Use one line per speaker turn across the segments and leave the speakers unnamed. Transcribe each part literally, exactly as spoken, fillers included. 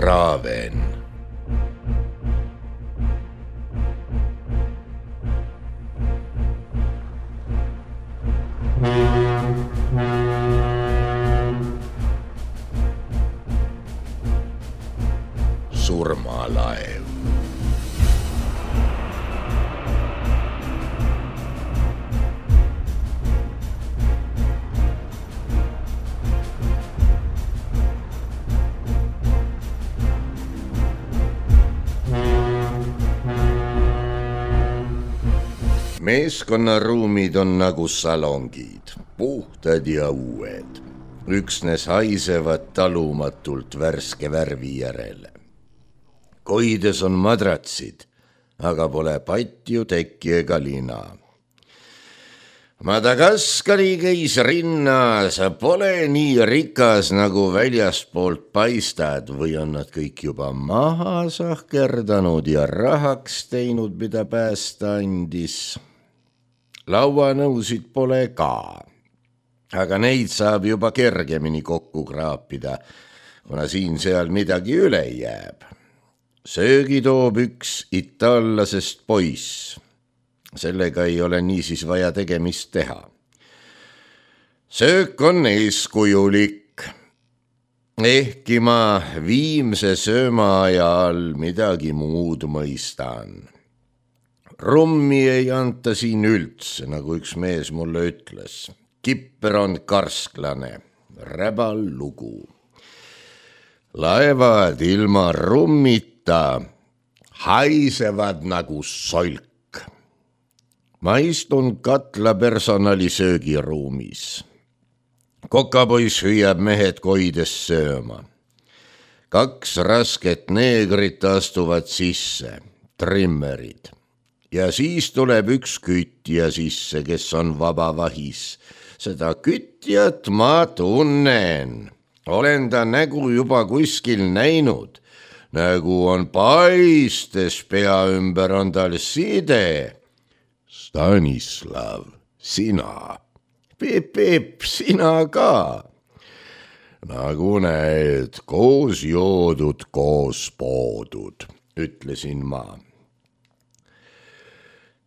Traven. Surmalaev. Meeskonnaruumid on nagu salongid, puhtad ja uued. Üksnes haisevad talumatult värske värvi järele. Koides on madratsid, aga pole patju, tekki ega lina. Madagaskari keisrinna, sa pole nii rikas, nagu väljaspoolt paistad, või on nad kõik juba maha sahkerdanud ja rahaks teinud, mida päästa andis. Lauanõusid pole ka, aga neid saab juba kergemini kokku kraapida, kuna siin-seal midagi üle jääb. Söögi toob üks itaallasest poiss. Sellega ei ole niisiis vaja tegemist teha. Söök on eeskujulik. Ehkki ma viimse sööma ajal midagi muud mõistan. Rummi ei anta siin üldse, nagu üks mees mulle ütles. Kipper on karsklane, räbal lugu. Laevad ilma rummita haisevad nagu solk. Ma istun katla personali söögiruumis. Kokapoiss hüüab mehed koides sööma. Kaks rasket neegrit astuvad sisse, trimmerid. Ja siis tuleb üks kütja sisse, kes on vaba vahis. Seda kütjat ma tunnen. Olen ta nägu juba kuskil näinud. Nägu on paistes, pea ümber on tal side. Stanislav, sina. Peep, Peep, sina ka. Nagu näed, koos joodud, koos poodud, ütlesin ma.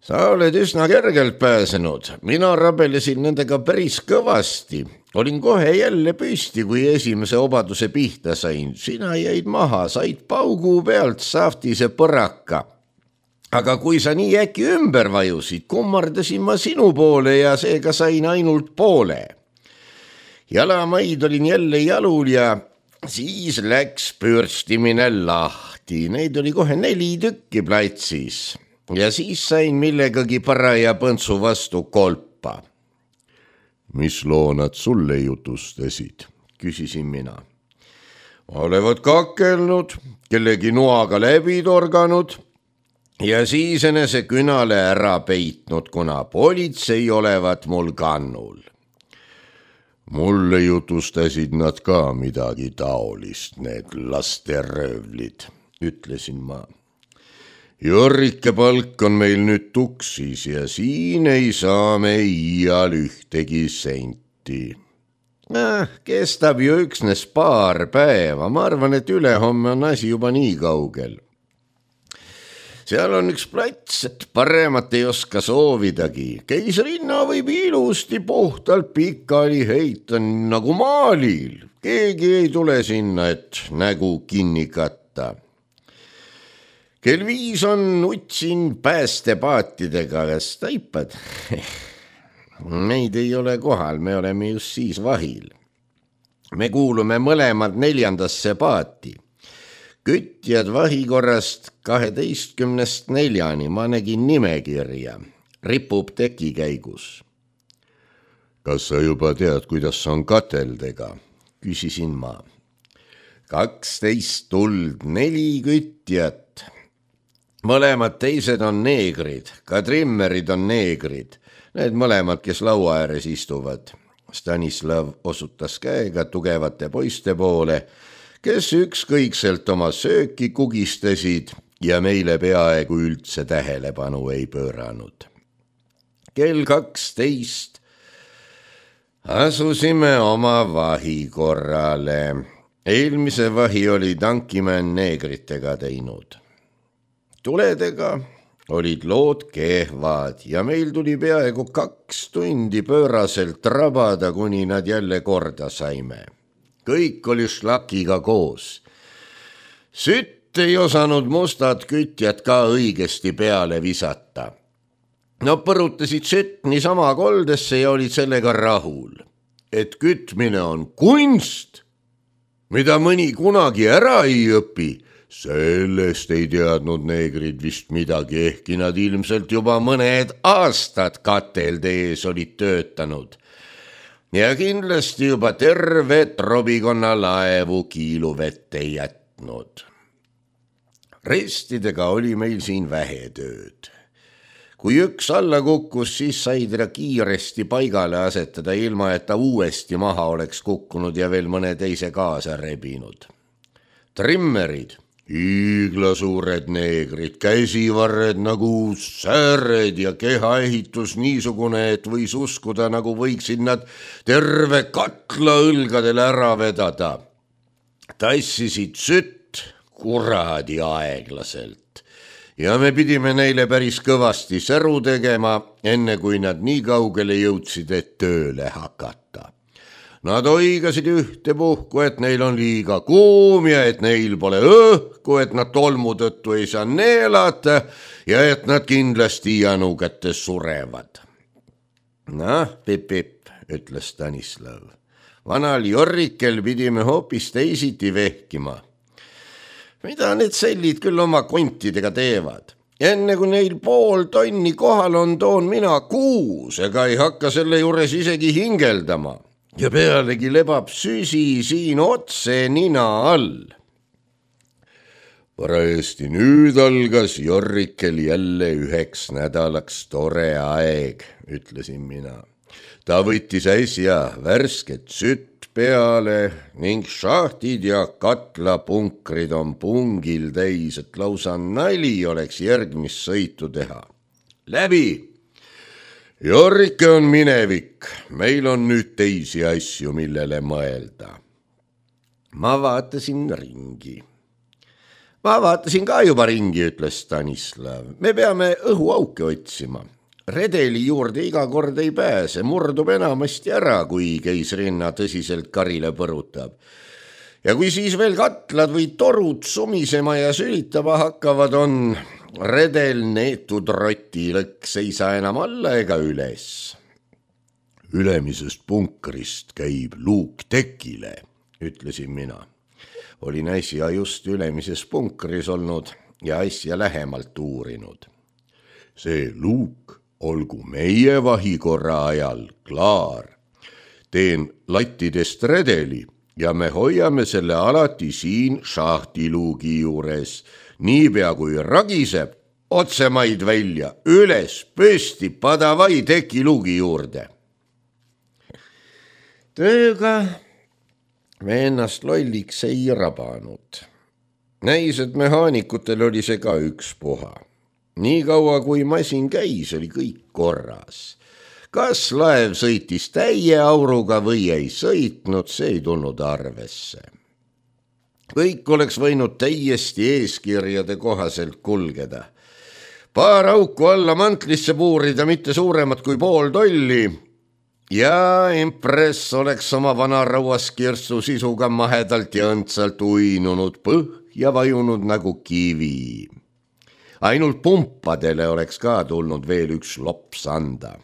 Sa oled üsna kergelt pääsenud. Mina rabelesin nendega päris kõvasti. Olin kohe jälle püsti, kui esimese obaduse pihta sain. Sina jäid maha, said paugu pealt saftise põraka. Aga kui sa nii äkki ümber vajusid, kummardasin ma sinu poole ja seega sain ainult poole. Jalamaid olin jälle jalul ja siis läks pürstimine lahti. Neid oli kohe neli tükki platsis. Ja siis sain millegagi paraja põntsu vastu kolpa. Mis loo nad sulle jutustasid, küsisin mina. Olevat kakelnud, kellegi noaga läbi torganud ja siis enese künale ära peitnud, kuna politsei olevat mul kannul. Mulle jutustasid nad ka midagi taolist, need lasteröövlid, ütlesin ma. Jorrike palk on meil nüüd tuksis ja siin ei saa me iial ühtegi senti. Äh, kestab ju üksnes paar päeva, ma arvan, et ülehomme on asi juba nii kaugel. Seal on üks plats, et paremat ei oska soovidagi. Keisrinna võib ilusti puhtalt pikali heita nagu maalil. Keegi ei tule sinna, et nägu kinni katta. Kell viis on utsin päästepaatidega, kas taipad? Meid ei ole kohal, me oleme just siis vahil. Me kuulume mõlemad neljandasse paati. Kütjad vahikorrast kaheteistkümnest neljani, ma nägin nimekirja. Ripub teki käigus. Kas sa juba tead, kuidas on kateldega? Küsisin ma. kaksteist tuld, neli kütjat. Mõlemad teised on neegrid, ka trimmerid on neegrid. Need mõlemad, kes laua ääres istuvad. Stanislav osutas käega tugevate poiste poole, kes ükskõikselt oma sööki kugistasid ja meile peaaegu üldse tähelepanu ei pööranud. Kell kaksteist asusime oma vahikorrale. eelmise vahi oli tankimään neegritega teinud. Tuledega olid lood kehvad ja meil tuli peaaegu kaks tundi pööraselt rabada, kuni nad jälle korda saime. Kõik oli šlakiga koos. Sütt ei osanud mustad kütjad ka õigesti peale visata. Nad põrutasid sütt niisama koldesse ja olid sellega rahul. Et kütmine on kunst, mida mõni kunagi ära ei õpi, sellest ei teadnud neegrid vist midagi, ehkki nad ilmselt juba mõned aastad katelde ees olid töötanud. Ja kindlasti juba terve trobikonna laevu kiiluvette jätnud. Restidega oli meil siin vähe tööd. Kui üks alla kukkus, siis sai teda kiiresti paigale asetada, ilma et ta uuesti maha oleks kukkunud ja veel mõne teise kaasa rebinud. Trimmerid, hiiglasuured neegrid, käsivarred nagu sääred ja kehaehitus niisugune, et võis uskuda, nagu võiksid nad terve katla õlgadele ära vedada. Tassisid sütt kuradi aeglaselt. Ja me pidime neile päris kõvasti säru tegema, enne kui nad nii kaugele jõudsid, et tööle hakata. Nad oigasid ühte puhku, et neil on liiga kuum ja et neil pole õhku, et nad tolmu tõttu ei saa neelata ja et nad kindlasti janugates surevad. Noh, pip-pip, ütles Stanislav. Vanal Jorrikel pidime hoopis teisiti vehkima. Mida need sellid küll oma kontidega teevad? Enne kui neil pool tonni kohal on, toon mina kuus, ega ei hakka selle juures isegi hingeldama. Ja pealegi lebab süsi siin otse nina all. Parajasti nüüd algas Jorrikel jälle üheks nädalaks tore aeg, ütlesin mina. Ta võttis äsja värsket sütt peale ning šahtid ja katlapunkrid on pungil täis, et lausa nali oleks järgmist sõitu teha. Läbi! Jorrike on minevik, meil on nüüd teisi asju, millele mõelda. Ma vaatasin ringi. Ma vaatasin ka juba ringi, ütles Stanislav. Me peame õhuauke otsima. Redeli juurde iga kord ei pääse, murdub enamasti ära, kui keisrinna tõsiselt karile põrutab. Ja kui siis veel katlad või torud sumisema ja sülitama hakkavad, on redel neetud rotilõks ei saa enam alla ega üles. Ülemisest punkrist käib luuk tekile, ütlesin mina. Olin äsja just ülemises punkris olnud ja asja lähemalt uurinud. See luuk olgu meie vahikorra ajal klaar. Teen lattidest redeli ja me hoiame selle alati siin šahtiluugi juures. Niipea kui ragiseb, otsemaid välja, üles, püsti, padavai tekiluugi juurde. Tööga me ennast lolliks ei rabanud. Näis, et mehaanikutel oli see ka üks puha. Nii kaua, kui masin käis, oli kõik korras. Kas laev sõitis täie auruga või ei sõitnud, see ei tulnud arvesse. Kõik oleks võinud täiesti eeskirjade kohaselt kulgeda. Paar auku alla mantlisse puurida, mitte suuremat kui pool tolli, ja Empress oleks oma vana rauaskirstu sisuga mahedalt ja õndsalt uinunud põhja vajunud nagu kivi. Ainult pumpadele oleks ka tulnud veel üks lops anda.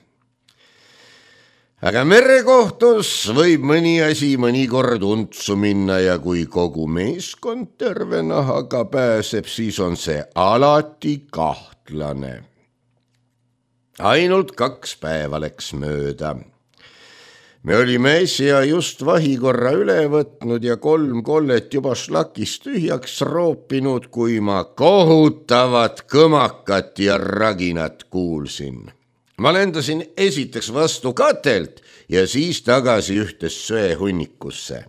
Aga merekohtus võib mõni asi mõnikord untsu minna ja kui kogu meeskond terve nahaga pääseb, siis on see alati kahtlane. Ainult kaks päeva läks mööda. Me olime äsja just vahikorra üle võtnud ja kolm kollet juba šlakist tühjaks roopinud, kui ma kohutavat kõmakat ja raginat kuulsin. Ma lendasin esiteks vastu katelt ja siis tagasi ühtes söehunnikusse.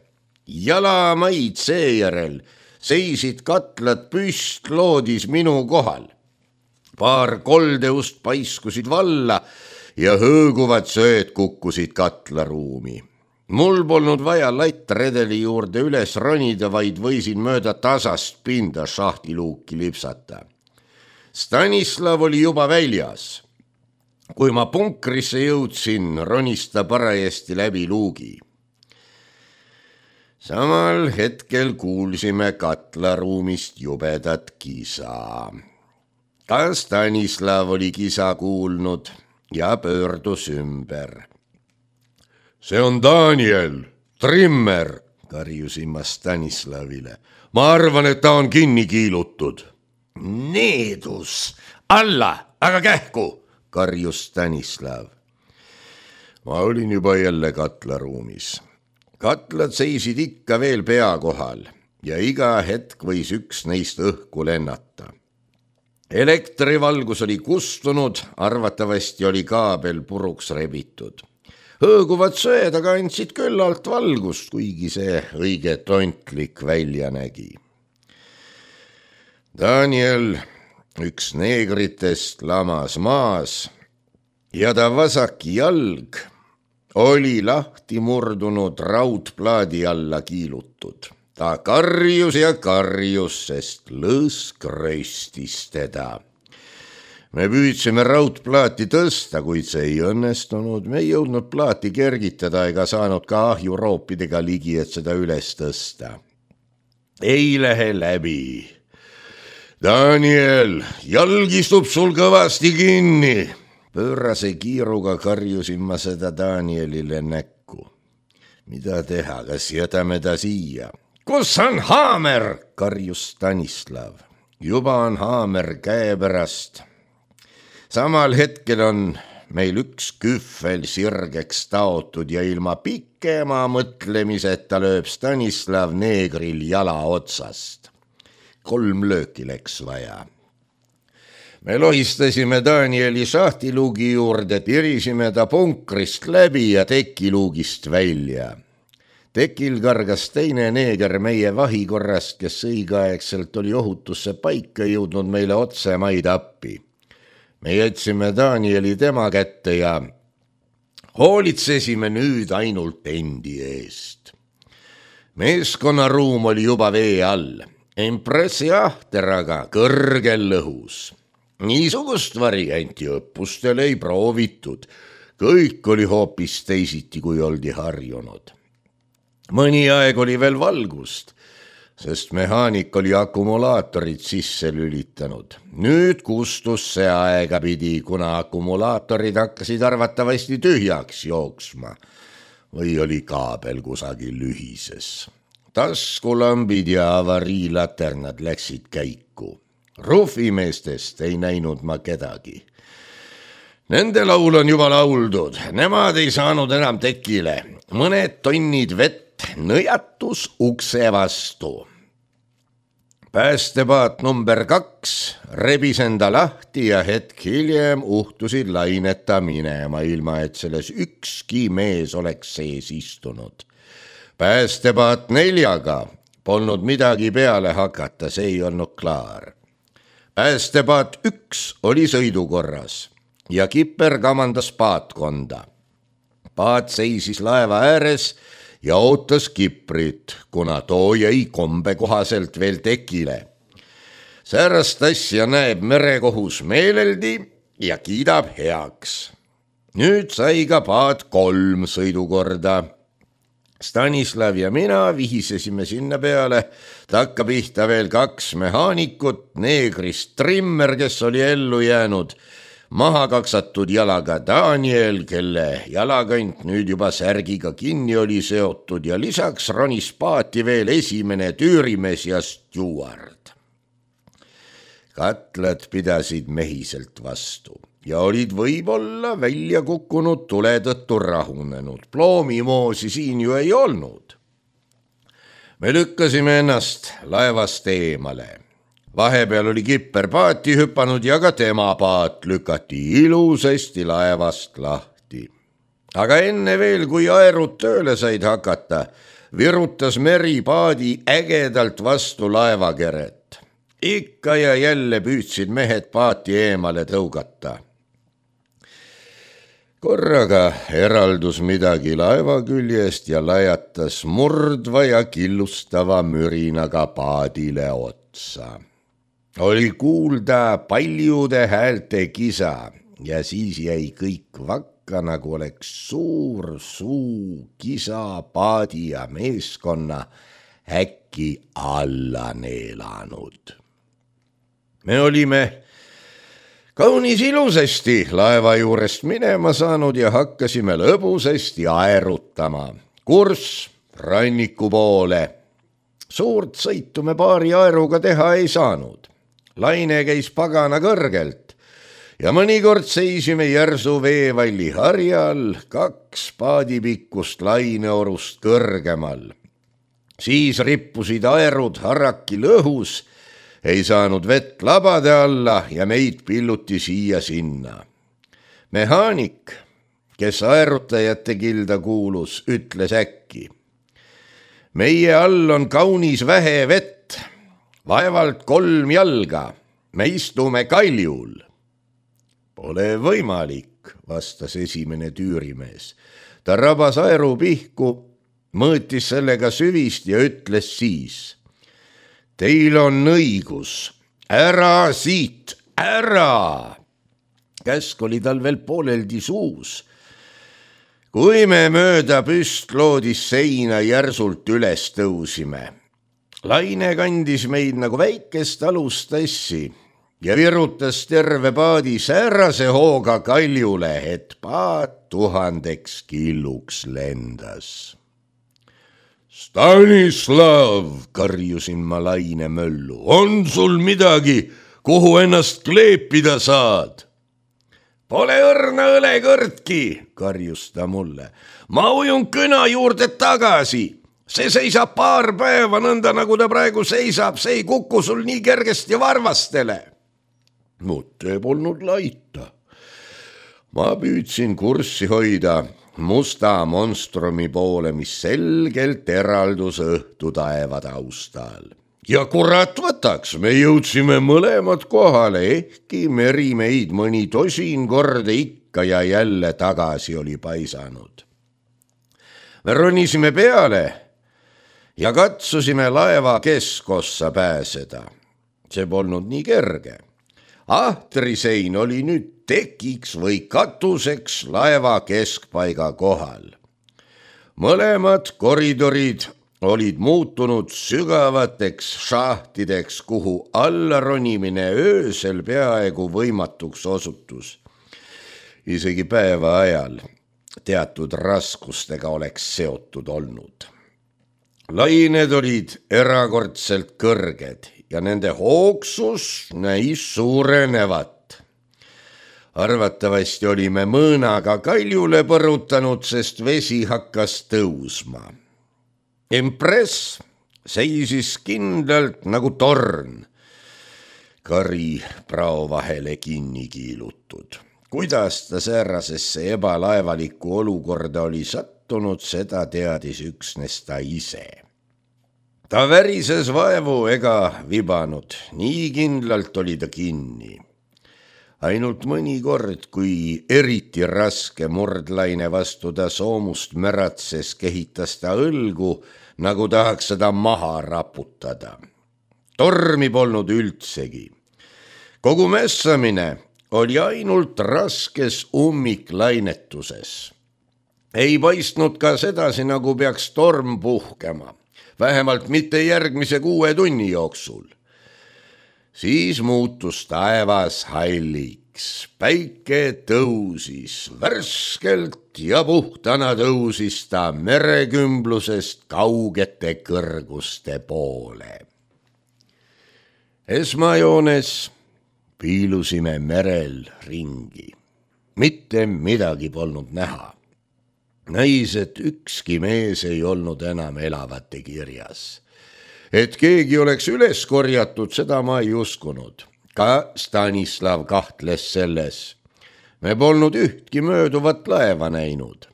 Jalamaid seejärel seisid katlad püstloodis minu kohal. Paar koldeust paiskusid valla ja hõõguvad sööd kukkusid katlaruumi. mul polnud vaja lattredeli juurde üles ronida, vaid võisin mööda tasast pinda šahtiluuki lipsata. Stanislav oli juba väljas. Kui ma punkrisse jõudsin, ronis ta parajasti läbi luugi. Samal hetkel kuulsime katlaruumist jubedat kisa. Ka Stanislav oli kisa kuulnud ja pöördus ümber. See on Daniel, trimmer, karjusin ma Stanislavile. Ma arvan, et ta on kinni kiilutud. Needus, alla, aga kähku, karjus Stanislav. Ma olin juba jälle katlaruumis. Katlad seisid ikka veel pea kohal ja iga hetk võis üks neist õhku lennata. Elektrivalgus oli kustunud, arvatavasti oli kaabel puruks rebitud. Hõõguvad söed aga andsid küllalt valgust, kuigi see õige tontlik välja nägi. Daniel, üks neegritest, lamas maas ja ta vasak jalg oli lahti murdunud raudplaadi alla kiilutud. Ta karjus ja karjus, sest lõõsk röistis teda. Me püüdsime raudplaati tõsta, kuid see ei õnnestunud. Me ei jõudnud plaati kergitada ega saanud ka ahjuroopidega ligi, et seda üles tõsta. Ei lähe läbi. Daniel, jalg istub sul kõvasti kinni. Pöörase kiiruga karjusin ma seda Danielile näkku. Mida teha, kas jätame ta siia? Kus on haamer, karjus Stanislav. Juba on haamer käe pärast. Samal hetkel on meil üks kühvel sirgeks taotud ja ilma pikema mõtlemiseta lööb Stanislav neegril jala otsast. Kolm lööki läks vaja. Me lohistasime Danieli šahtiluugi juurde, tirisime ta punkrist läbi ja tekiluugist välja. Tekil kargas teine neeger meie vahikorrast, kes õigeaegselt oli ohutusse paika jõudnud meile otsemaid appi. Me jätsime Danieli tema kätte ja hoolitsesime nüüd ainult endi eest. Meeskonnaruum oli juba vee all, impressi ahteraga kõrgel lõhus. Niisugust varianti õppustel ei proovitud. Kõik oli hoopis teisiti, kui oldi harjunud. Mõni aeg oli veel valgust, sest mehaanik oli akumulaatorid sisse lülitanud. Nüüd kustus see aegapidi, kuna akumulaatorid hakkasid arvatavasti tühjaks jooksma või oli kaabel kusagil lühises. Taskulambid ja avariilaternad läksid käiku. Rufimeestest ei näinud ma kedagi. Nende laul on juba lauldud, nemad ei saanud enam tekile. Mõned tonnid vett nõjatus ukse vastu. Päästepaat number kaks rebis enda lahti ja hetk hiljem uhtusid laineta minema, ilma et selles ükski mees oleks sees istunud. Päästepaat neljaga polnud midagi peale hakata, see ei olnud klaar. Päästepaat üks oli sõidukorras ja kipper kamandas paatkonda. Paat seisis laeva ääres ja ootas kiprit, kuna too jäi kombe kohaselt veel tekile. Säärast asja näeb merekohus meeleldi ja kiidab heaks. Nüüd sai ka paat kolm sõidukorda. Stanislav ja mina vihisesime sinna peale, takka pihta veel kaks mehaanikut, neegrist trimmer, kes oli ellu jäänud, maha kaksatud jalaga Daniel, kelle jalakant nüüd juba särgiga kinni oli seotud ja lisaks ronis paati veel esimene tüürimees ja stjuard. Katlad pidasid mehiselt vastu ja olid võib-olla välja kukkunud tule tõttu rahunenud. Ploomimoosi siin ju ei olnud. Me lükkasime ennast laevast eemale. Vahepeal oli kipper paati hüpanud ja ka tema paat lükati ilusasti laevast lahti. Aga enne veel, kui aerud tööle said hakata, virutas meri paadi ägedalt vastu laevakeret. Ikka ja jälle püüdsid mehed paati eemale tõugata. korraga eraldus midagi laeva küljest ja lajatas murdva ja killustava mürinaga paadile otsa. Oli kuulda paljude häälte kisa ja siis jäi kõik vakka, nagu oleks suur suu kisa paadi ja meeskonna äkki alla neelanud. Me olime kaunis ilusasti laeva juurest minema saanud ja hakkasime lõbusasti aerutama. Kurss ranniku poole. Suurt sõitu me paari aeruga teha ei saanud. Laine käis pagana kõrgelt ja mõnikord seisime järsu veevalli harjal kaks paadipikkust laineorust kõrgemal. Siis rippusid aerud harrakil õhus, ei saanud vett labade alla ja meid pilluti siia-sinna. Mehaanik, kes aerutajate kilda kuulus, ütles äkki: meie all on kaunis vähe vett, vaevalt kolm jalga, me istume kaljul. Pole võimalik, vastas esimene tüürimees. Ta rabas aeru pihku, mõõtis sellega süvist ja ütles siis: teil on õigus, ära siit, ära. Käsk oli tal veel pooleldi suus. Kui me mööda püstloodis seina järsult üles tõusime, laine kandis meid nagu väikest alustassi ja virutas terve paadi säärase hooga kaljule, et paat tuhandeks killuks lendas. Stanislav, karjusin ma laine möllu, on sul midagi, kuhu ennast kleepida saad? Pole õrna õlekõrtki, karjus ta mulle. Ma ujun kõna juurde tagasi. See seisab paar päeva nõnda, nagu ta praegu seisab, see ei kuku sul nii kergesti varvastele. Mutta polnud laita. Ma püüdsin kurssi hoida musta monstrumi poole, mis selgelt eraldus õhtu taeva taustal. Ja kurat võtaks, me jõudsime mõlemad kohale, ehkki meri meid mõni tosin korda ikka ja jälle tagasi oli paisanud. Me ronisime peale ja katsusime laeva keskossa pääseda. See polnud nii kerge. Ahtrisein oli nüüd tekiks või katuseks laeva keskpaiga kohal. Mõlemad koridorid olid muutunud sügavateks šahtideks, kuhu alla ronimine öösel peaaegu võimatuks osutus. Isegi päeva ajal teatud raskustega oleks seotud olnud. Lained olid erakordselt kõrged ja nende hoogsus näis suurenevat. Arvatavasti olime mõõnaga kaljule põrutanud, sest vesi hakkas tõusma. Empress seisis kindlalt nagu torn, kari prao vahele kinni kiilutud. Kuidas ta säärasesse ebalaevalikku olukorda oli sattunud, seda teadis üksnes ta ise. Ta värises vaevu ega vibanud, nii kindlalt oli ta kinni. Ainult mõni kord, kui eriti raske murdlaine vastu ta soomust märatses, kehitas ta õlgu, nagu tahaks seda maha raputada. Tormi polnud üldsegi. Kogu mässamine oli ainult raskes ummiklainetuses. Ei paistnud ka sedasi, nagu peaks torm puhkema, vähemalt mitte järgmise kuue tunni jooksul. Siis muutus taevas halliks, päike tõusis, värskelt ja puhtana tõusis ta merekümblusest kaugete kõrguste poole. Esmajoones piilusime merel ringi. Mitte midagi polnud näha. Näis, et ükski mees ei olnud enam elavate kirjas. Et keegi oleks üles korjatud, seda ma ei uskunud. Ka Stanislav kahtles selles. Me polnud ühtki mööduvat laeva näinud.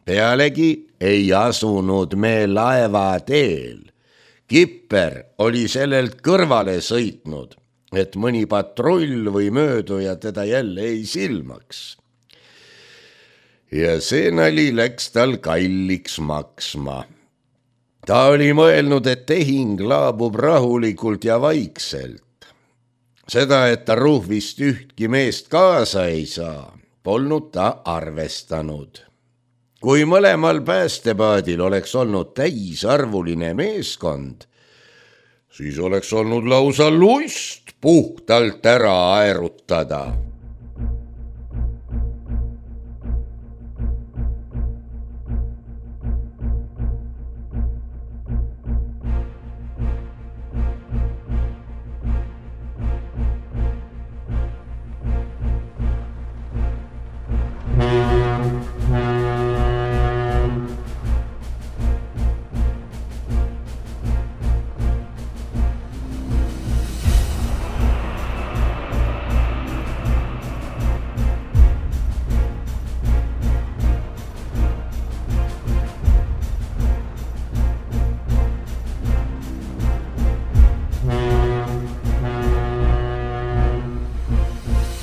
Pealegi ei asunud me laeva teel. Kipper oli sellelt kõrvale sõitnud, et mõni patrull või mööduja teda jälle ei silmaks. ja see nali läks tal kalliks maksma. Ta oli mõelnud, et tehing laabub rahulikult ja vaikselt. Seda, et ta Ruhvist ühtki meest kaasa ei saa, polnud ta arvestanud. Kui mõlemal päästepaadil oleks olnud täisarvuline meeskond, siis oleks olnud lausa lust puhtalt ära aerutada.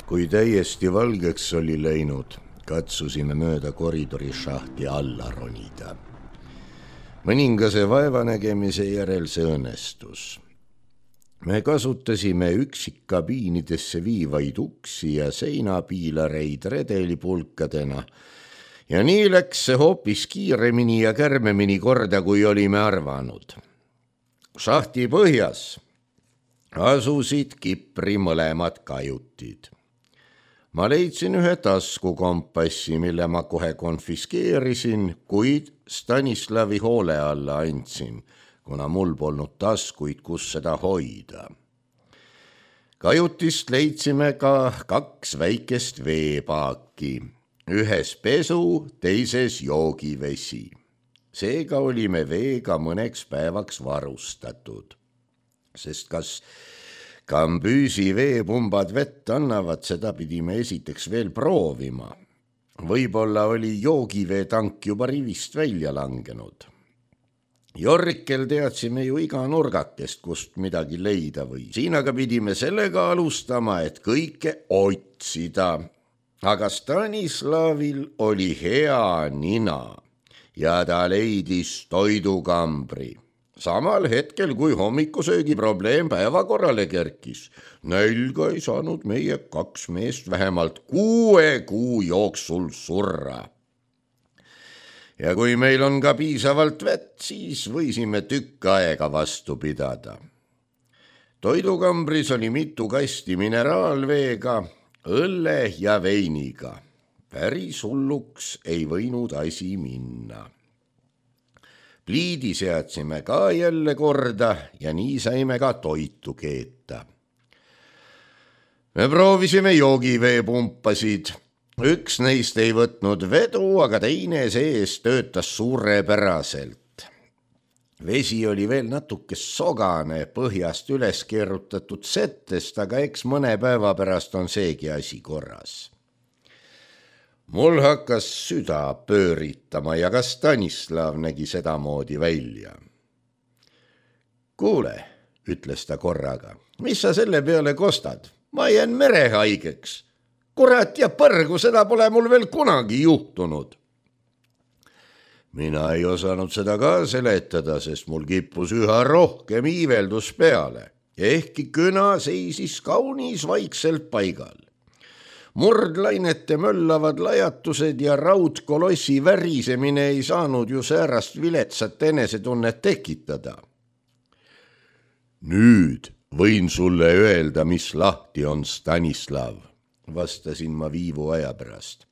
Kui täiesti valgeks oli läinud, katsusime mööda koridori šahti alla ronida. Mõningase vaevanägemise järel see õnnestus. Me kasutasime üksikkabiinidesse viivaid uksi ja seinapiilareid redelipulkadena ja nii läks see hoopis kiiremini ja kärmemini korda, kui olime arvanud. Šahti põhjas asusid Kipri mõlemad kajutid. Ma leidsin ühe taskukompassi, mille ma kohe konfiskeerisin, kuid Stanislavi hoole alla andsin, kuna mul polnud taskuid, kus seda hoida. Kajutist leidsime ka kaks väikest veepaaki, ühes pesu, teises joogivesi. Seega olime veega mõneks päevaks varustatud, sest kas Kambüüsi veepumbad vett annavad, seda pidime esiteks veel proovima. Võib-olla oli joogiveetank juba rivist välja langenud. Jorrikel teadsime ju iga nurgakest, kust midagi leida või. Siin aga pidime sellega alustama, et kõike otsida. Aga Stanislavil oli hea nina ja ta leidis toidukambri. Samal hetkel, kui hommikusöögi probleem päevakorrale kerkis, nälga ei saanud meie kaks meest vähemalt kuue kuu jooksul surra. Ja kui meil on ka piisavalt vett, siis võisime tükk aega vastu pidada. Toidukambris oli mitu kasti mineraalveega, õlle ja veiniga. Päris hulluks ei võinud asi minna. Pliidi seadsime ka jälle korda ja nii saime ka toitu keeta. Me proovisime joogiveepumpasid. Üks neist ei võtnud vedu, aga teine sees töötas suurepäraselt. Vesi oli veel natuke sogane, põhjast üles keerutatud settest, aga eks mõne päeva pärast on seegi asi korras. Mul hakkas süda pööritama ja ka Stanislav nägi sedamoodi välja. Kuule, ütles ta korraga, mis sa selle peale kostad? Ma jään merehaigeks. Kurat ja põrgu, seda pole mul veel kunagi juhtunud. Mina ei osanud seda ka seletada, sest mul kippus üha rohkem iiveldus peale. Ehkki küna seisis kaunis vaikselt paigal. Murdlainete möllavad lajatused ja raudkolossi värisemine ei saanud ju säärast viletsat enesetunnet tekitada. Nüüd võin sulle öelda, mis lahti on, Stanislav, vastasin ma viivu aja pärast.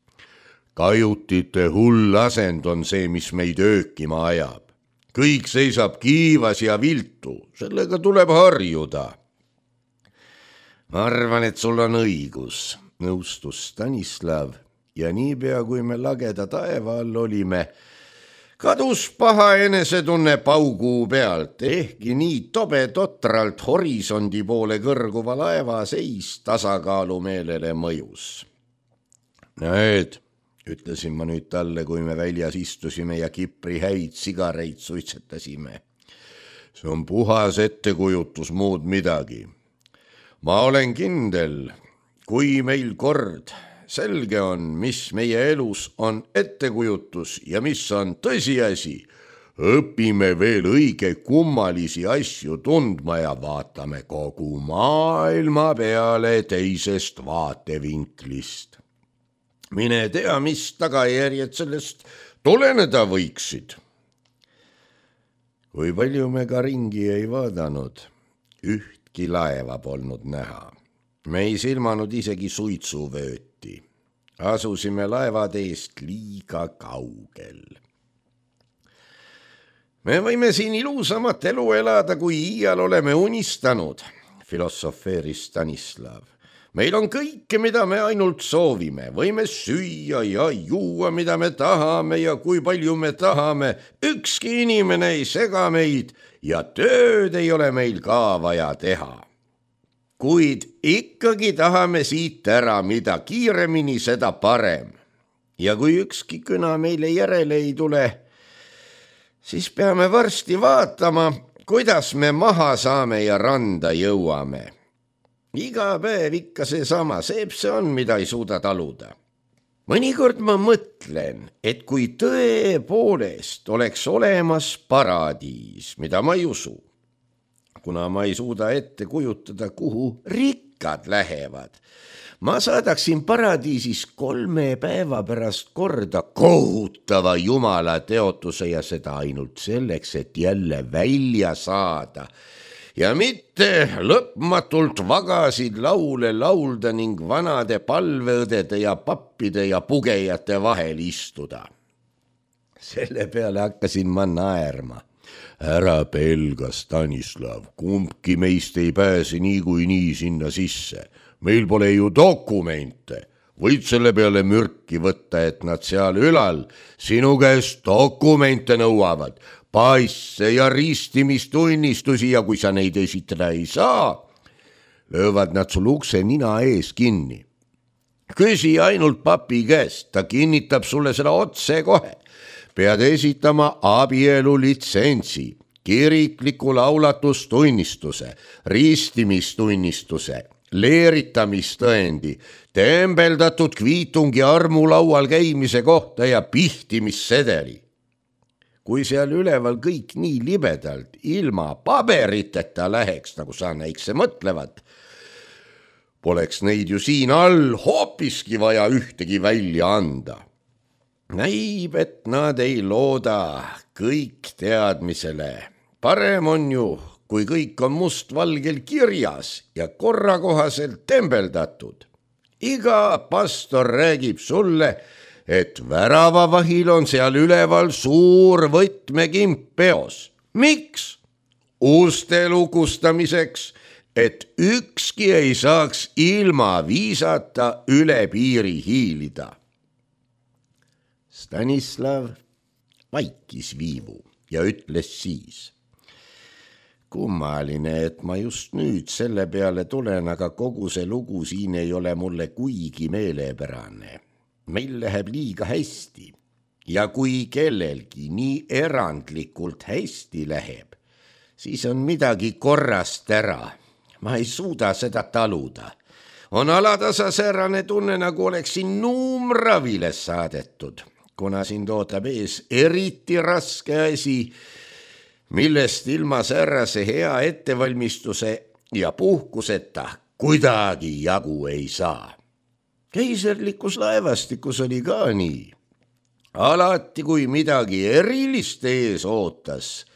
Kajutite hull asend on see, mis meid öökima ajab. Kõik seisab kiivas ja viltu, sellega tuleb harjuda. Ma arvan, et sul on õigus, nõustus Stanislav ja niipea, kui me lageda taeva all olime, kadus paha enesetunne pauguu pealt, ehkki nii tobe totralt horisondi poole kõrguva laeva seis tasakaalumeelele mõjus. Näed, ütlesin ma nüüd talle, kui me väljas istusime ja Kipri häid sigareid suitsetasime. See on puhas ettekujutus, muud midagi. Ma olen kindel, kui meil kord selge on, mis meie elus on ettekujutus ja mis on tõsiasi. Õpime veel õige kummalisi asju tundma ja vaatame kogu maailma peale teisest vaatevinklist. Mine tea, mis tagajärjed sellest tuleneda võiksid. Kui palju me ka ringi ei vaadanud, ühtki laeva polnud näha. Me ei silmanud isegi suitsuvööti. Asusime laevad eest liiga kaugel. Me võime siin ilusamat elu elada, kui iial oleme unistanud, filosofeeris Stanislav. Meil on kõike, mida me ainult soovime. Võime süüa ja juua, mida me tahame ja kui palju me tahame. Ükski inimene ei sega meid ja tööd ei ole meil ka vaja teha. Kuid ikkagi tahame siit ära, mida kiiremini, seda parem. Ja kui ükski kõna meile järele ei tule, siis peame varsti vaatama, kuidas me maha saame ja randa jõuame. Iga päev ikka seesama, seeb see on, mida ei suuda taluda. Mõnikord ma mõtlen, et kui tõepoolest oleks olemas paradiis, mida ma ei usu, kuna ma ei suuda ette kujutada, kuhu rikkad lähevad. Ma saadaksin paradiisis kolme päeva pärast korda kohutava jumala teotuse ja seda ainult selleks, et jälle välja saada ja mitte lõpmatult vagasid laule laulda ning vanade palveõdede ja pappide ja pugejate vahel istuda. Selle peale hakkasin ma naerma. Ära pelga, Stanislav, kumbki meist ei pääse niikuinii sinna sisse. Meil pole ju dokumente. Võid selle peale mürki võtta, et nad seal ülal sinu käest dokumente nõuavad, paisse ja ristimistunnistusi ja kui sa neid esitada ei saa, löövad nad sul ukse nina ees kinni. Küsi ainult papi käest, ta kinnitab sulle seda otse kohe. Pead esitama abielu litsentsi, kirikliku laulatustunnistuse, ristimistunnistuse, leeritamistõendi, tembeldatud kviitungi armulaual käimise kohta ja pihtimissedeli. Kui seal üleval kõik nii libedalt, ilma paberiteta läheks, nagu sa näikse mõtlevad, poleks neid ju siin all hoopiski vaja ühtegi välja anda. Näib, et nad ei looda kõik teadmisele. Parem on ju, kui kõik on mustvalgel kirjas ja korrakohaselt tembeldatud. Iga pastor räägib sulle, et väravavahil on seal üleval suur võtmekimp peos. Miks? Uste lukustamiseks, et ükski ei saaks ilma viisata üle piiri hiilida. Stanislav vaikis viivu ja ütles siis. Kummaline, et ma just nüüd selle peale tulen, aga kogu see lugu siin ei ole mulle kuigi meelepärane. Meil läheb liiga hästi ja kui kellelgi nii erandlikult hästi läheb, siis on midagi korrast ära. Ma ei suuda seda taluda. On alatasa säärane tunne, nagu oleksin nuumravile saadetud, kuna sind ootab ees eriti raske asi, millest ilma säärase hea ettevalmistuse ja puhkuseta kuidagi jagu ei saa. Keiserlikus laevastikus oli ka nii. Alati, kui midagi erilist ees ootas,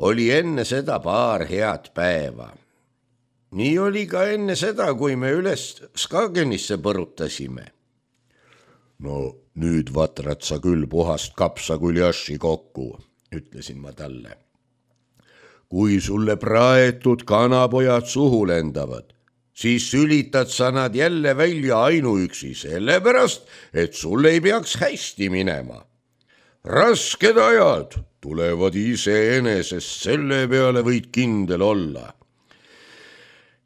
oli enne seda paar head päeva. Nii oli ka enne seda, kui me üles Skagenisse põrutasime. No nüüd vatrad sa küll puhast kapsakuljaši kokku, ütlesin ma talle. Kui sulle praetud kanapojad suhu lendavad, siis sülitad sa nad jälle välja ainuüksi sellepärast, et sul ei peaks hästi minema. Rasked ajad tulevad iseenesest, selle peale võid kindel olla.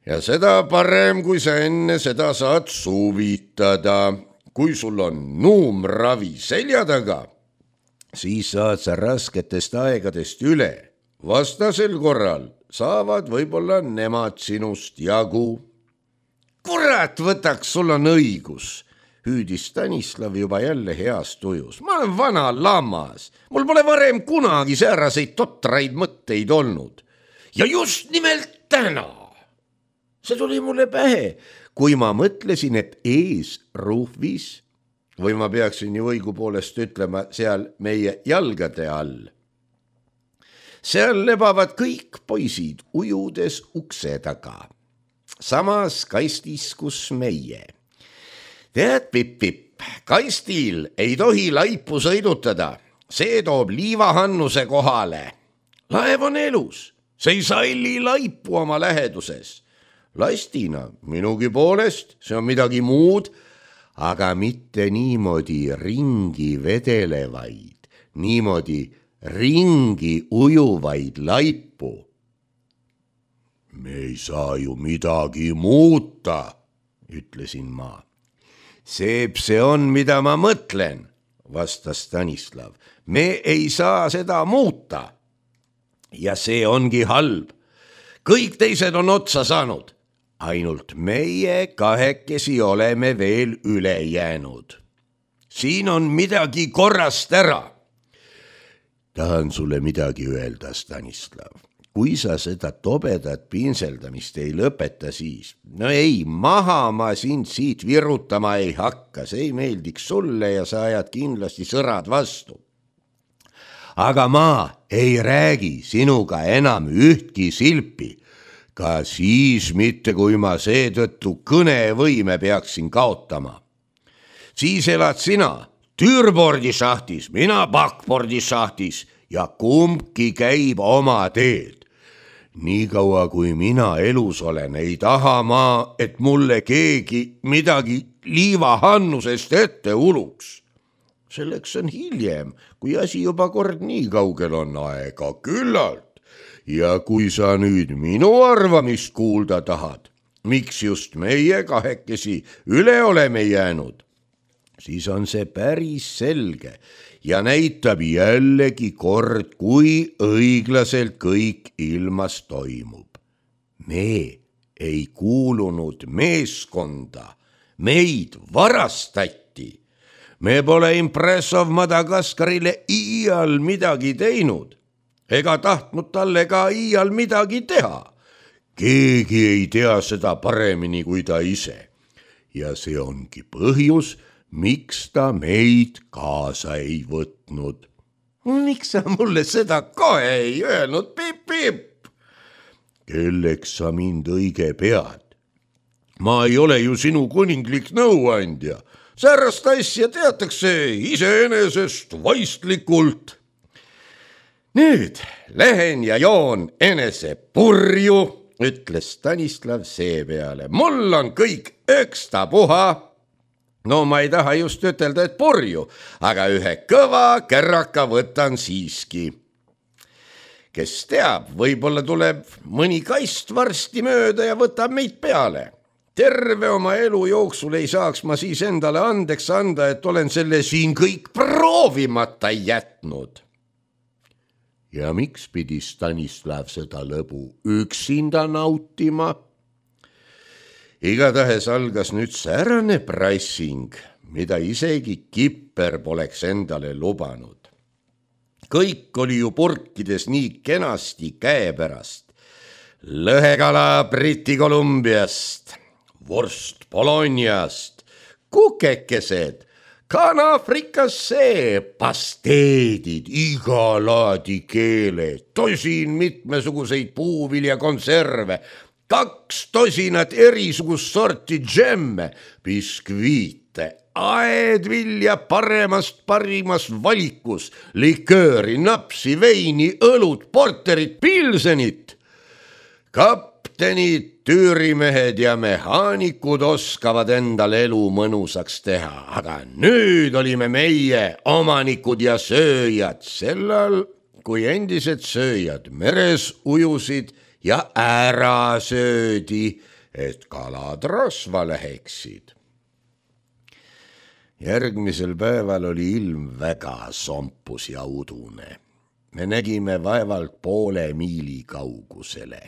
Ja seda parem, kui sa enne seda saad suvitada. Kui sul on nuumravi selja taga, siis saad sa rasketest aegadest üle. Vastasel korral saavad võib-olla nemad sinust jagu. Kurat, võtaks, sul on õigus, hüüdis Stanislav juba jälle heas tujus. Ma olen vana lammas, mul pole varem kunagi sääraseid totraid mõtteid olnud. Ja just nimelt täna. See tuli mulle pähe, kui ma mõtlesin, et ees ruhvis, või ma peaksin ju õigupoolest ütlema seal meie jalgade all. Seal lebavad kõik poisid ujudes ukse taga. Samas kastis, kus meie. Tead, Pipp-Pipp, kastil ei tohi laipu sõidutada. See toob liivahannuse kohale. Laev on elus. See ei salli laipu oma läheduses. Lastina minugi poolest, see on midagi muud, aga mitte niimoodi ringi vedelevaid, niimoodi ringi ujuvaid laipu. Me ei saa ju midagi muuta, ütlesin ma. Seep see on, mida ma mõtlen, vastas Stanislav. Me ei saa seda muuta. Ja see ongi halb. Kõik teised on otsa saanud. Ainult meie kahekesi oleme veel üle jäänud. Siin on midagi korrast ära. Tahan sulle midagi öelda, Stanislav. Kui sa seda tobedat pinseldamist ei lõpeta, siis no ei, maha ma sind siit virutama ei hakka. See ei meeldiks sulle ja sa ajad kindlasti sõrad vastu. Aga ma ei räägi sinuga enam ühtki silpi. Ka siis mitte, kui ma seetõttu kõnevõime peaksin kaotama. Siis elad sina türbordi šahtis, mina backbordi šahtis ja kumbki käib oma teed. Nii kaua, kui mina elus olen, ei taha ma, et mulle keegi midagi liivahannusest ette uluks. Selleks on hiljem, kui asi juba kord nii kaugel on aega küllalt. Ja kui sa nüüd minu arvamist kuulda tahad, miks just meie kahekesi üle oleme jäänud, siis on see päris selge ja näitab jällegi kord, kui õiglaselt kõik ilmas toimub. Me ei kuulunud meeskonda, meid varastati. Me pole Impressov Madagaskarile iial midagi teinud. Ega tahtnud talle ka iial midagi teha. Keegi ei tea seda paremini kui ta ise. Ja see ongi põhjus, miks ta meid kaasa ei võtnud. Miks sa mulle seda kohe ei öelnud, Pipp-Pipp? Kelleks sa mind õige pead? Ma ei ole ju sinu kuninglik nõuandja. Säärast asja teatakse iseenesest vaistlikult. Nüüd lähen ja joon enese purju, ütles Stanislav seepeale. Mul on kõik ökstapuha. No ma ei taha just ütelda, et purju, aga ühe kõva kärraka võtan siiski. Kes teab, võib-olla tuleb mõni kast varsti mööda ja võtab meid peale. Terve oma elu jooksul ei saaks ma siis endale andeks anda, et olen selle siin kõik proovimata jätnud. Ja miks pidi Stanislav seda lõbu üksinda nautima? Igatahes algas nüüd säärane prassing, mida isegi Kipper poleks endale lubanud. Kõik oli ju purkides nii kenasti käepärast. Lõhekala Briti Kolumbiast, vorst Bologniast, kukekesed, kana frikassee, pasteedid, iga laadi keeled, tosin mitmesuguseid puuviljakonserve, kaks tosinat erisugust sorti džemme, biskviite, aedvilja paremast parimast valikus, likööri, napsi, veini, õlut, porterit, pilsenit. Kaptenid, tüürimehed ja mehaanikud oskavad endal elu mõnusaks teha, aga nüüd olime meie omanikud ja sööjad sellal, kui endised sööjad meres ujusid ja ära söödi, et kalad rasva läheksid. Järgmisel päeval oli ilm väga sompus ja udune. Me nägime vaevalt poole miili kaugusele.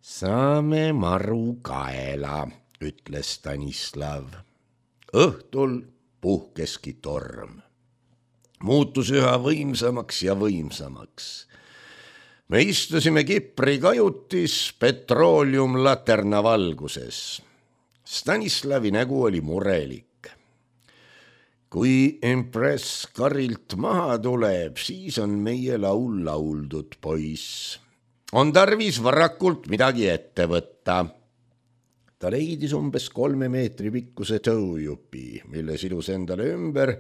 Saame maru kaela, ütles Stanislav. Õhtul puhkeski torm. Muutus üha võimsamaks ja võimsamaks. Me istusime Kipri kajutis petrooliumlaterna valguses. Stanislavi nägu oli murelik. Kui Impress karilt maha tuleb, siis on meie laul lauldud, poiss. On tarvis varakult midagi ette võtta. Ta leidis umbes kolme meetri pikkuse tõujupi, mille sidus endale ümber,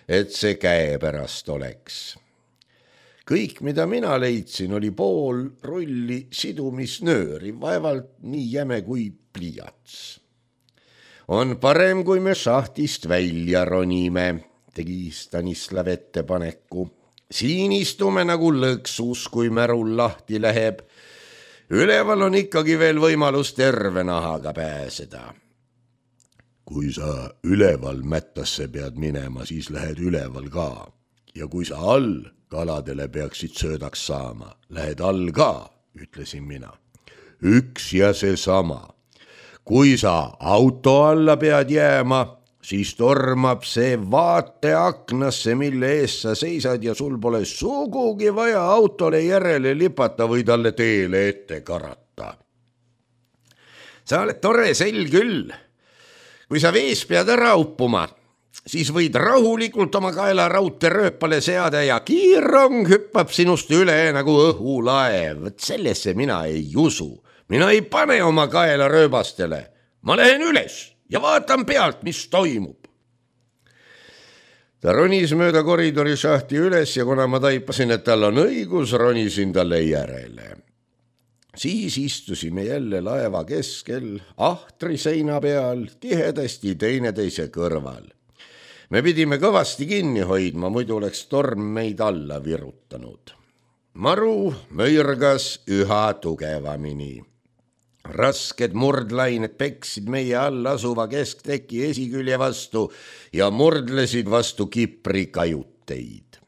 et see käe pärast oleks. Kõik, mida mina leidsin, oli pool rulli sidumisnööri, vaevalt nii jäme kui pliiats. On parem, kui me šahtist välja ronime, tegi Stanislav ettepaneku. Siin istume nagu lõksus, kui märul lahti läheb. Üleval on ikkagi veel võimalus terve nahaga pääseda. Kui sa üleval mättasse pead minema, siis lähed üleval ka. Ja kui sa all kaladele peaksid söödaks saama, lähed all ka, ütlesin mina. Üks ja see sama. Kui sa auto alla pead jääma, siis tormab see vaateaknasse, mille ees sa seisad ja sul pole sugugi vaja autole järele lipata või talle teele ette karata. Sa oled tore sel küll. Kui sa vees pead ära uppuma, siis võid rahulikult oma kaela raudteerööpale seada ja kiirrong hüppab sinust üle nagu õhulaev. Sellesse mina ei usu. Mina ei pane oma kaela rööbastele. Ma lähen üles ja vaatan pealt, mis toimub. Ta ronis mööda koridori šahti üles ja kuna ma taipasin, et tal on õigus, ronisin talle järele. Siis istusime jälle laeva keskel, ahtri seina peal, tihedasti teineteise kõrval. Me pidime kõvasti kinni hoidma, muidu oleks torm meid alla virutanud. Maru möirgas üha tugevamini. Rasked murdlained peksid meie all asuva keskteki esikülje vastu ja murdlesid vastu Kipri kajuteid.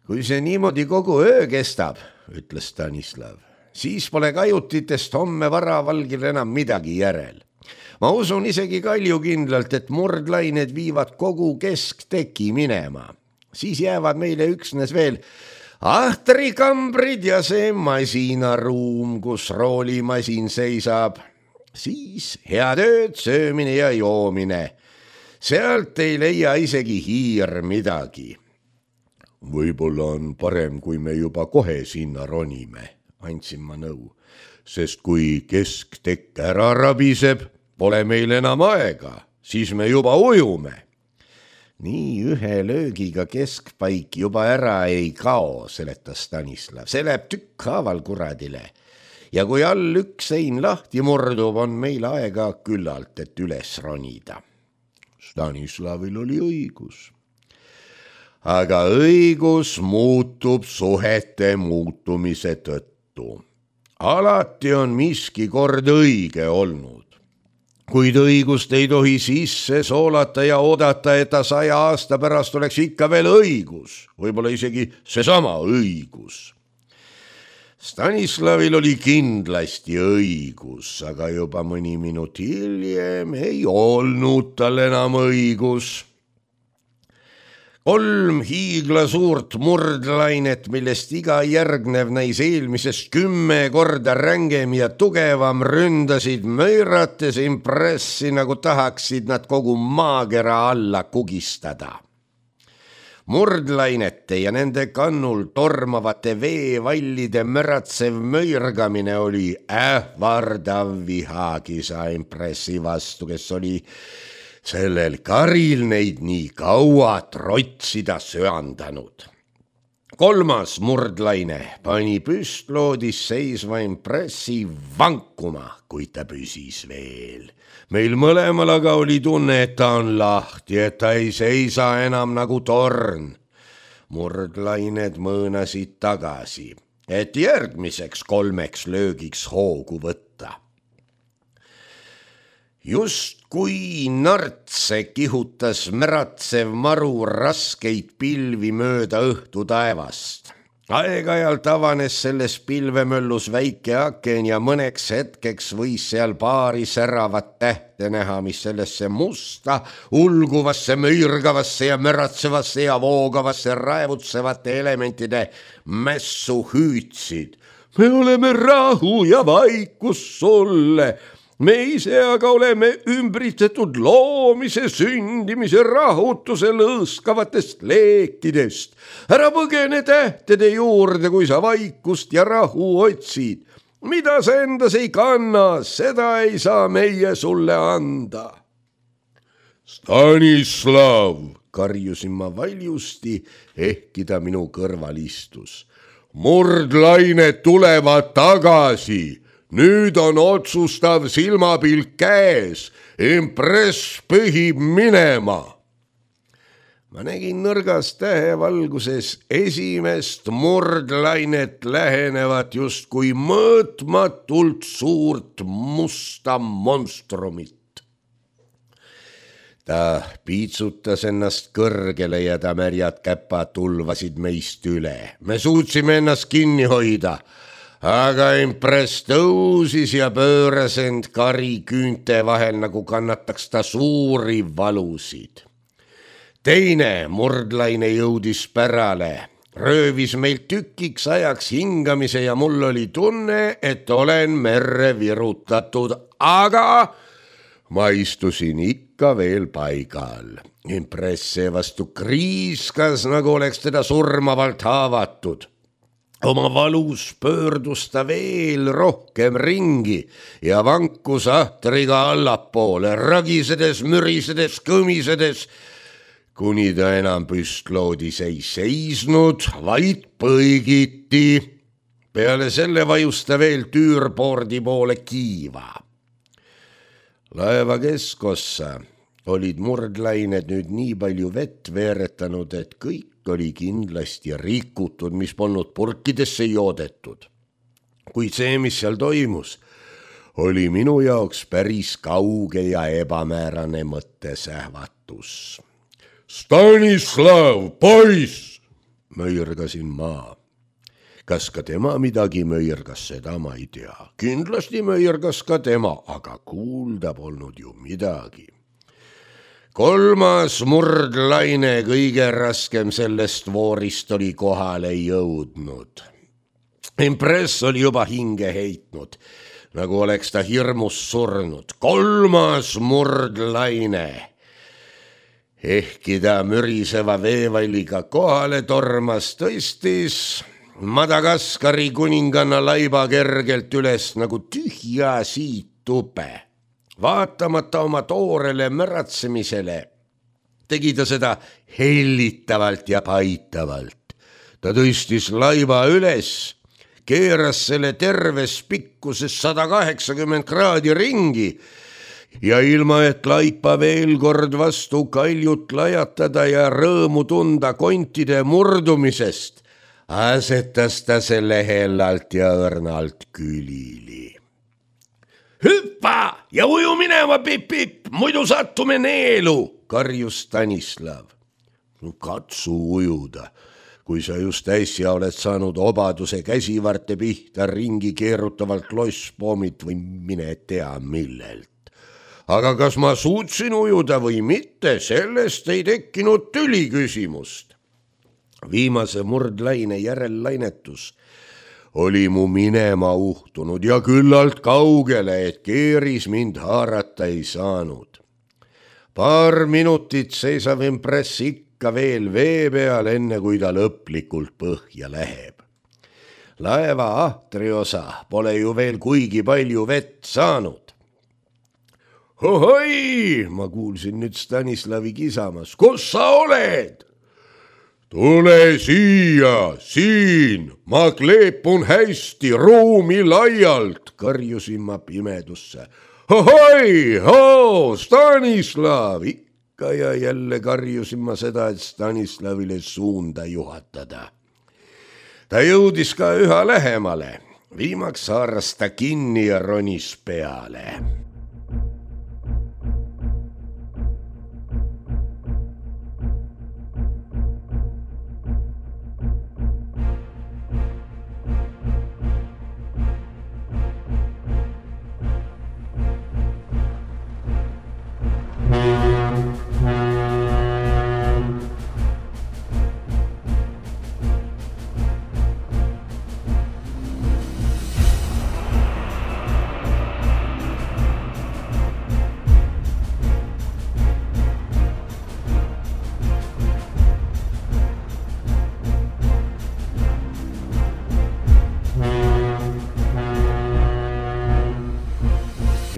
Kui see niimoodi kogu öö kestab, ütles Stanislav, siis pole kajutitest homme varavalgil enam midagi järel. Ma usun isegi kaljukindlalt, et murdlained viivad kogu keskteki minema. Siis jäävad meile üksnes veel ahtrikambrid ja see masinaruum, kus roolimasin seisab. Siis head ööd, söömine ja joomine. Sealt ei leia isegi hiir midagi. Võib-olla on parem, kui me juba kohe sinna ronime, andsin ma nõu. Sest kui kesktekk ära rabiseb, pole meil enam aega, siis me juba ujume. Nii ühe löögiga keskpaik juba ära ei kao, seletas Stanislav. See läheb tükkhaaval kuradile. Ja kui all üks sein lahti murdub, on meil aega küllalt, et üles ronida. Stanislavil oli õigus. Aga õigus muutub suhete muutumise tõttu. Alati on miski kord õige olnud. Kuid õigust ei tohi sisse soolata ja oodata, et ta saja aasta pärast oleks ikka veel õigus, võib-olla isegi seesama õigus. Stanislavil oli kindlasti õigus, aga juba mõni minut hiljem ei olnud tal enam õigus. Kolm hiigla suurt murdlainet, millest iga järgnev näis eelmisest kümme korda rängem ja tugevam, ründasid möirates Impressi, nagu tahaksid nad kogu maakera alla kugistada. Murdlainete ja nende kannul tormavate veevallide möratsev möirgamine oli ähvardav vihakisa Impressi vastu, kes oli sellel karil neid nii kaua trotsida söandanud. Kolmas murdlaine pani püstloodis seisva Impressi vankuma, kuid ta püsis veel. Meil mõlemal aga oli tunne, et ta on lahti, et ta ei seisa enam nagu torn. Murdlained mõõnasid tagasi, et järgmiseks kolmeks löögiks hoogu võtta. Just kui nartse kihutas märatsev maru raskeid pilvi mööda õhtu taevast, aeg-ajalt avanes selles pilvemöllus väike aken ja mõneks hetkeks võis seal paari säravat tähte näha, mis sellesse musta, ulguvasse, möirgavasse ja möratsevasse ja voogavasse raevutsevate elementide mässu hüüdsid. Me oleme rahu ja vaikus sulle. Me ise aga oleme ümbritsetud loomise, sündimise, rahutuse lõõskavatest leekidest. Ära põgene tähtede juurde, kui sa vaikust ja rahu otsid. Mida sa endas ei kanna, seda ei saa meie sulle anda. Stanislav, karjusin ma valjusti, ehkki ta minu kõrval istus. Murdlained tulevad tagasi. Nüüd on otsustav silmapilk käes, impress pühib minema. Ma nägin nõrgas tähevalguses esimest murdlainet lähenevat justkui mõõtmatult suurt musta monstrumit. Ta piitsutas ennast kõrgele ja ta märjad käpad tulvasid meist üle. Me suutsime ennast kinni hoida. Aga impress tõusis ja pööras end kari küünte vahel, nagu kannataks ta suuri valusid. Teine murdlaine jõudis pärale, röövis meilt tükiks ajaks hingamise ja mul oli tunne, et olen merre virutatud, aga ma istusin ikka veel paigal. Impress seevastu kriiskas, nagu oleks teda surmavalt haavatud. Oma valus pöördus ta veel rohkem ringi ja vankus ahtriga allapoole, ragisedes, mürisedes, kõmisedes, kuni ta enam püstloodis ei seisnud, vaid põigiti. Peale selle vajus ta veel tüürpoordi poole kiiva. Laeva keskossa olid murdlained nüüd nii palju vett veeretanud, et kõik oli kindlasti rikutud, mis polnud purkidesse joodetud. Kuid see, mis seal toimus, oli minu jaoks päris kauge ja ebamäärane mõttesähvatus. Stanislav, poiss, möirgasin ma. Kas ka tema midagi möirgas, seda ma ei tea. Kindlasti möirgas ka tema, aga kuulda polnud ju midagi. Kolmas murdlaine, kõige raskem sellest voorist, oli kohale jõudnud. Impress oli juba hinge heitnud, nagu oleks ta hirmus surnud. Kolmas murdlaine, ehkki ta müriseva veevalliga kohale tormas, tõstis Madagaskari kuninganna laiba kergelt üles nagu tühja siitube. Vaatamata oma toorele möratsemisele tegi ta seda hellitavalt ja paitavalt. Ta tõstis laiba üles, keeras selle terves pikkuses sada kaheksakümmend kraadi ringi ja ilma, et laipa veel kord vastu kaljut lajatada ja rõõmu tunda kontide murdumisest, asetas ta selle hellalt ja õrnalt külili. Hüppa ja uju minema, Pipp-Pipp, muidu sattume neelu, karjus Stanislav. Katsu ujuda, kui sa just äsja oled saanud obaduse käsivarte pihta ringi keerutavalt losspoomit või mine tea millelt. Aga kas ma suutsin ujuda või mitte, sellest ei tekkinud tüli küsimust. Viimase murdlaine järellainetus oli mu minema uhtunud ja küllalt kaugele, et keeris mind haarata ei saanud. Paar minutit seisav impress ikka veel vee peal, enne kui ta lõplikult põhja läheb. Laeva ahtriosa pole ju veel kuigi palju vett saanud. Ohoi, ma kuulsin nüüd Stanislavi kisamas. Kus sa oled? Tule siia, siin, ma kleepun hästi, ruumi laialt, karjusin ma pimedusse. Ohoi, hoo, Stanislav, ikka ja jälle karjusin ma seda, et Stanislavile suunda juhatada. Ta jõudis ka üha lähemale, viimaks haaras ta kinni ja ronis peale.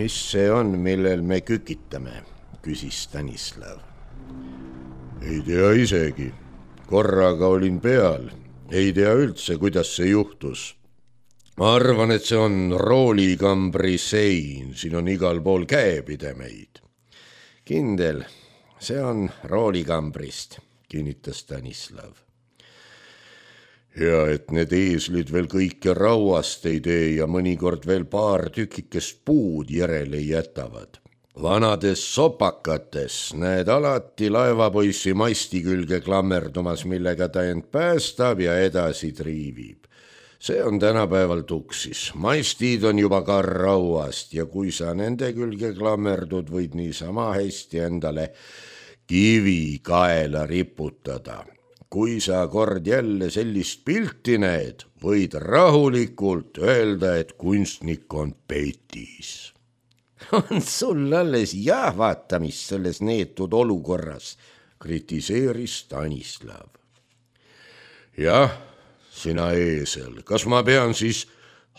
mis see on, millel me kükitame, küsis Stanislav. Ei tea isegi. Korraga olin peal. Ei tea üldse, kuidas see juhtus. Ma arvan, et see on roolikambri sein. Siin on igal pool käepidemeid. Kindel, see on roolikambrist, kinnitas Stanislav. Ja et need eeslid veel kõike rauast ei tee ja mõnikord veel paar tükikest puud järele jätavad. Vanades sopakates näed alati laevapoissi masti külge klammerdumas, millega ta end päästab ja edasi triivib. See on tänapäeval tuksis. Mastid on juba ka rauast ja kui sa nende külge klammerdud, võid niisama hästi endale kivi kaela riputada. Kui sa kord jälle sellist pilti näed, võid rahulikult öelda, et kunstnik on petis. On sul alles jahvatamist selles neetud olukorras, kritiseeris Stanislav. Jah, sina eesel, kas ma pean siis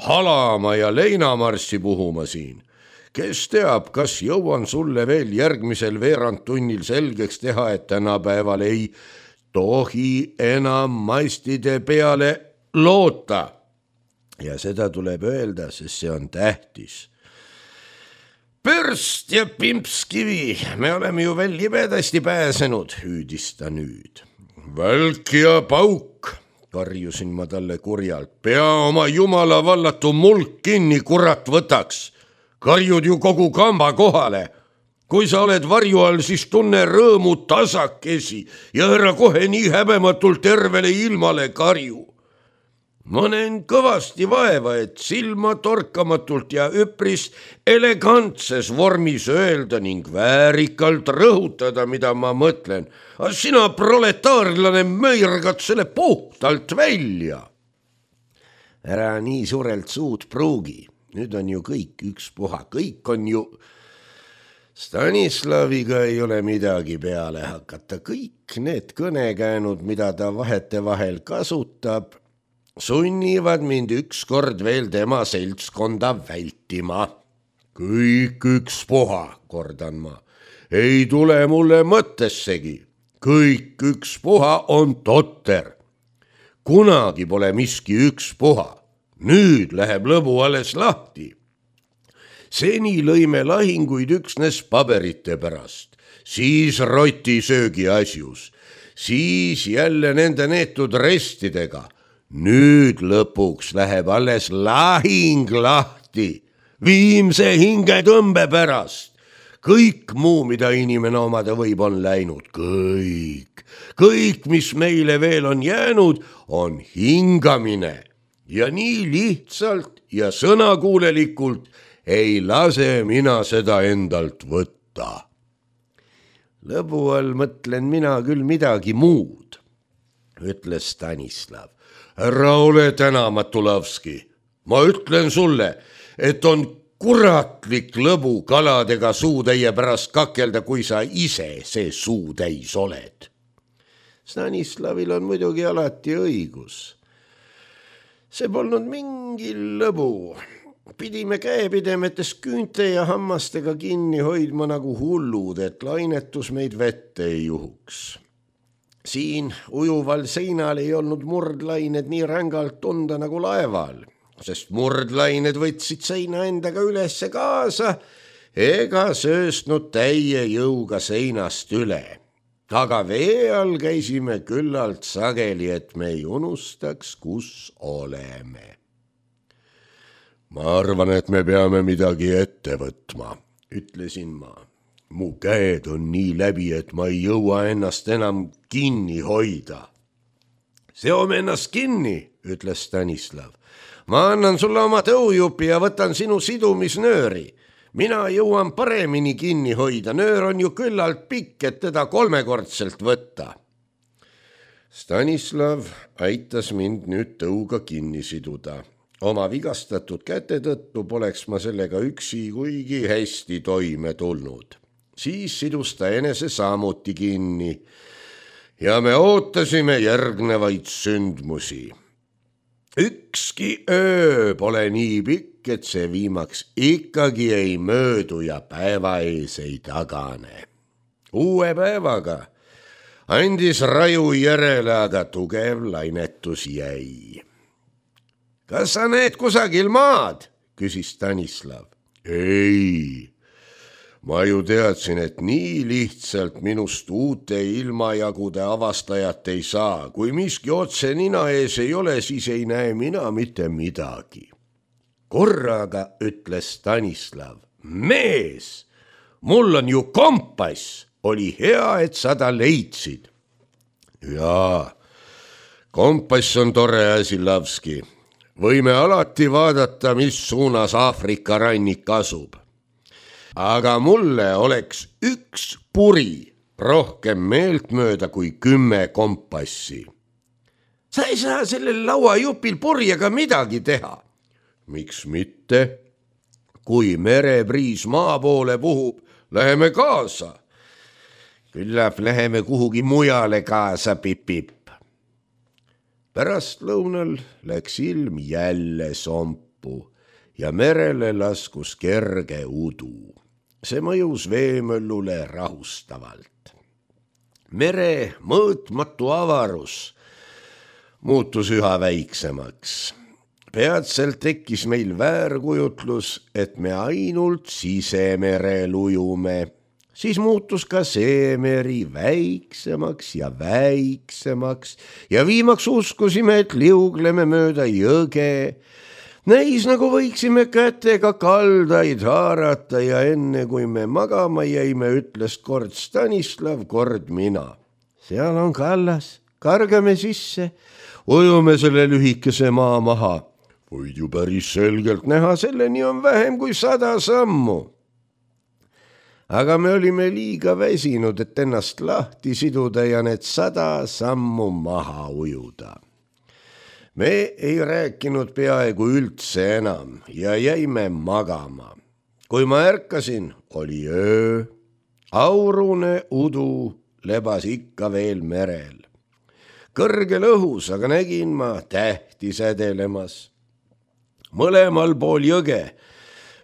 halama ja leinamarssi puhuma siin? Kes teab, kas jõuan sulle veel järgmisel veerandtunnil selgeks teha, et tänapäeval ei tohi enam mastide peale loota. Ja seda tuleb öelda, sest see on tähtis. Pörst ja pimpskivi, me oleme ju veel libedasti pääsenud, hüüdis ta nüüd. Välk ja pauk, karjusin ma talle kurjalt. Pea oma jumala vallatu mulk kinni, kurat võtaks. Karjud ju kogu kamba kohale. Kui sa oled varju all, siis tunne rõõmu tasakesi ja ära kohe nii häbematult tervele ilmale karju. Ma näen kõvasti vaeva, et silma torkamatult ja üpris elegantses vormis öelda ning väärikalt rõhutada, mida ma mõtlen. Aga sina proletaarlane möirgad selle puhtalt välja. Ära nii suurelt suud pruugi. Nüüd on ju kõik ükspuha, kõik on ju... Stanislaviga ei ole midagi peale hakata. Kõik need kõnekäänud, mida ta vahetevahel kasutab, sunnivad mind ükskord veel tema seltskonda vältima. Kõik ükspuha, kordan ma. Ei tule mulle mõttessegi. Kõik ükspuha on totter. Kunagi pole miski ükspuha. Nüüd läheb lõbu alles lahti. Seni lõime lahinguid üksnes paberite pärast, siis rotisöögi asjus, siis jälle nende neetud restidega. Nüüd lõpuks läheb alles lahing lahti, viimse hingetõmbe pärast. Kõik muu, mida inimene omada võib, on läinud. Kõik, kõik, mis meile veel on jäänud, on hingamine. Ja nii lihtsalt ja sõnakuulelikult ei lase mina seda endalt võtta. Lõbu all mõtlen mina küll midagi muud, ütles Stanislav. Ära ole tänamatu, Lavski. Ma ütlen sulle, et on kuratlik lõbu kaladega suutäie pärast kakelda, kui sa ise see suutäis oled. Stanislavil on muidugi alati õigus. See polnud mingi lõbu. Pidime käepidemetes küünte ja hammastega kinni hoidma nagu hullud, et lainetus meid vette ei juhuks. Siin ujuval seinal ei olnud murdlained nii rängalt tunda nagu laeval, sest murdlained võtsid seina endaga ülesse kaasa ega sööstnud täie jõuga seinast üle. Aga vee all käisime küllalt sageli, et me ei unustaks, kus oleme. Ma arvan, et me peame midagi ette võtma, ütlesin ma. Mu käed on nii läbi, et ma ei jõua ennast enam kinni hoida. Seome ennast kinni, ütles Stanislav. Ma annan sulle oma tõujupi ja võtan sinu sidumisnööri. Mina jõuan paremini kinni hoida. Nöör on ju küllalt pikk, et teda kolmekordselt võtta. Stanislav aitas mind nüüd tõuga kinni siduda. Oma vigastatud käte tõttu poleks ma sellega üksi kuigi hästi toime tulnud. Siis sidus ta enese samuti kinni ja me ootasime järgnevaid sündmusi. ükski öö pole nii pikk, et see viimaks ikkagi ei möödu ja päeva ees ei tagane. Uue päevaga andis raju järele, aga tugev lainetus jäi. Kas sa näed kusagil maad? Küsis Stanislav. Ei, ma ju teadsin, et nii lihtsalt minust uute ilmajagude avastajat ei saa. Kui miski otse nina ees ei ole, siis ei näe mina mitte midagi. Korraga ütles Stanislav. Mees, mul on ju kompass. Oli hea, et sa ta leidsid. Jaa, kompass on tore asi, Lavski. Võime alati vaadata, mis suunas Aafrika rannik asub. Aga mulle oleks üks puri rohkem meeltmööda kui kümme kompassi. Sa ei saa sellel lauajupil purjega midagi teha. Miks mitte? Kui merebriis maa poole puhub, läheme kaasa. Küllap läheme kuhugi mujale kaasa, pip-pip. Pärast lõunal läks ilm jälle sompu ja merele laskus kerge udu. See mõjus veemöllule rahustavalt. Mere mõõtmatu avarus muutus üha väiksemaks. Peatselt tekkis meil väärkujutlus, et me ainult sisemerel ujume. Siis muutus ka see meri väiksemaks ja väiksemaks ja viimaks uskusime, et liugleme mööda jõge. Näis nagu võiksime kätega kaldaid haarata ja enne kui me magama jäime, ütles kord Stanislav, kord mina. Seal on kallas, kargame sisse, ujume selle lühikese maa maha. Võid ju päris selgelt näha, selleni on vähem kui sada sammu. Aga me olime liiga väsinud, et ennast lahti siduda ja need sada sammu maha ujuda. Me ei rääkinud peaaegu üldse enam ja jäime magama. Kui ma ärkasin, oli öö. Aurune udu lebas ikka veel merel. Kõrgel õhus aga nägin ma tähti sädelemas. Mõlemal pool jõge,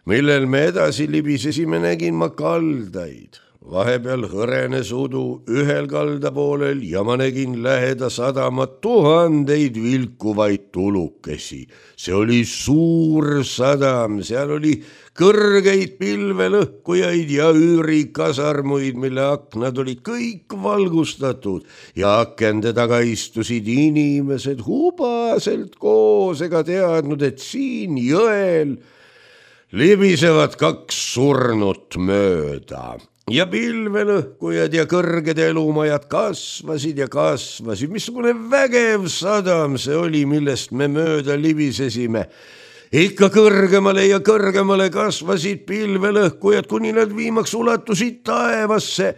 millel me edasi libisesime, nägin ma kaldaid. Vahepeal hõrenes udu ühel kalda poolel ja ma nägin läheda sadamat tuhandeid vilkuvaid tulukesi. See oli suur sadam, seal oli kõrgeid pilvelõhkujaid ja üürikasarmuid, mille aknad olid kõik valgustatud ja akende taga istusid inimesed hubaselt koos ega teadnud, et siin jõel libisevad kaks surnut mööda. Ja pilvelõhkujad ja kõrged elumajad kasvasid ja kasvasid. Missugune vägev sadam see oli, millest me mööda libisesime. Ikka kõrgemale ja kõrgemale kasvasid pilvelõhkujad, kuni nad viimaks ulatusid taevasse.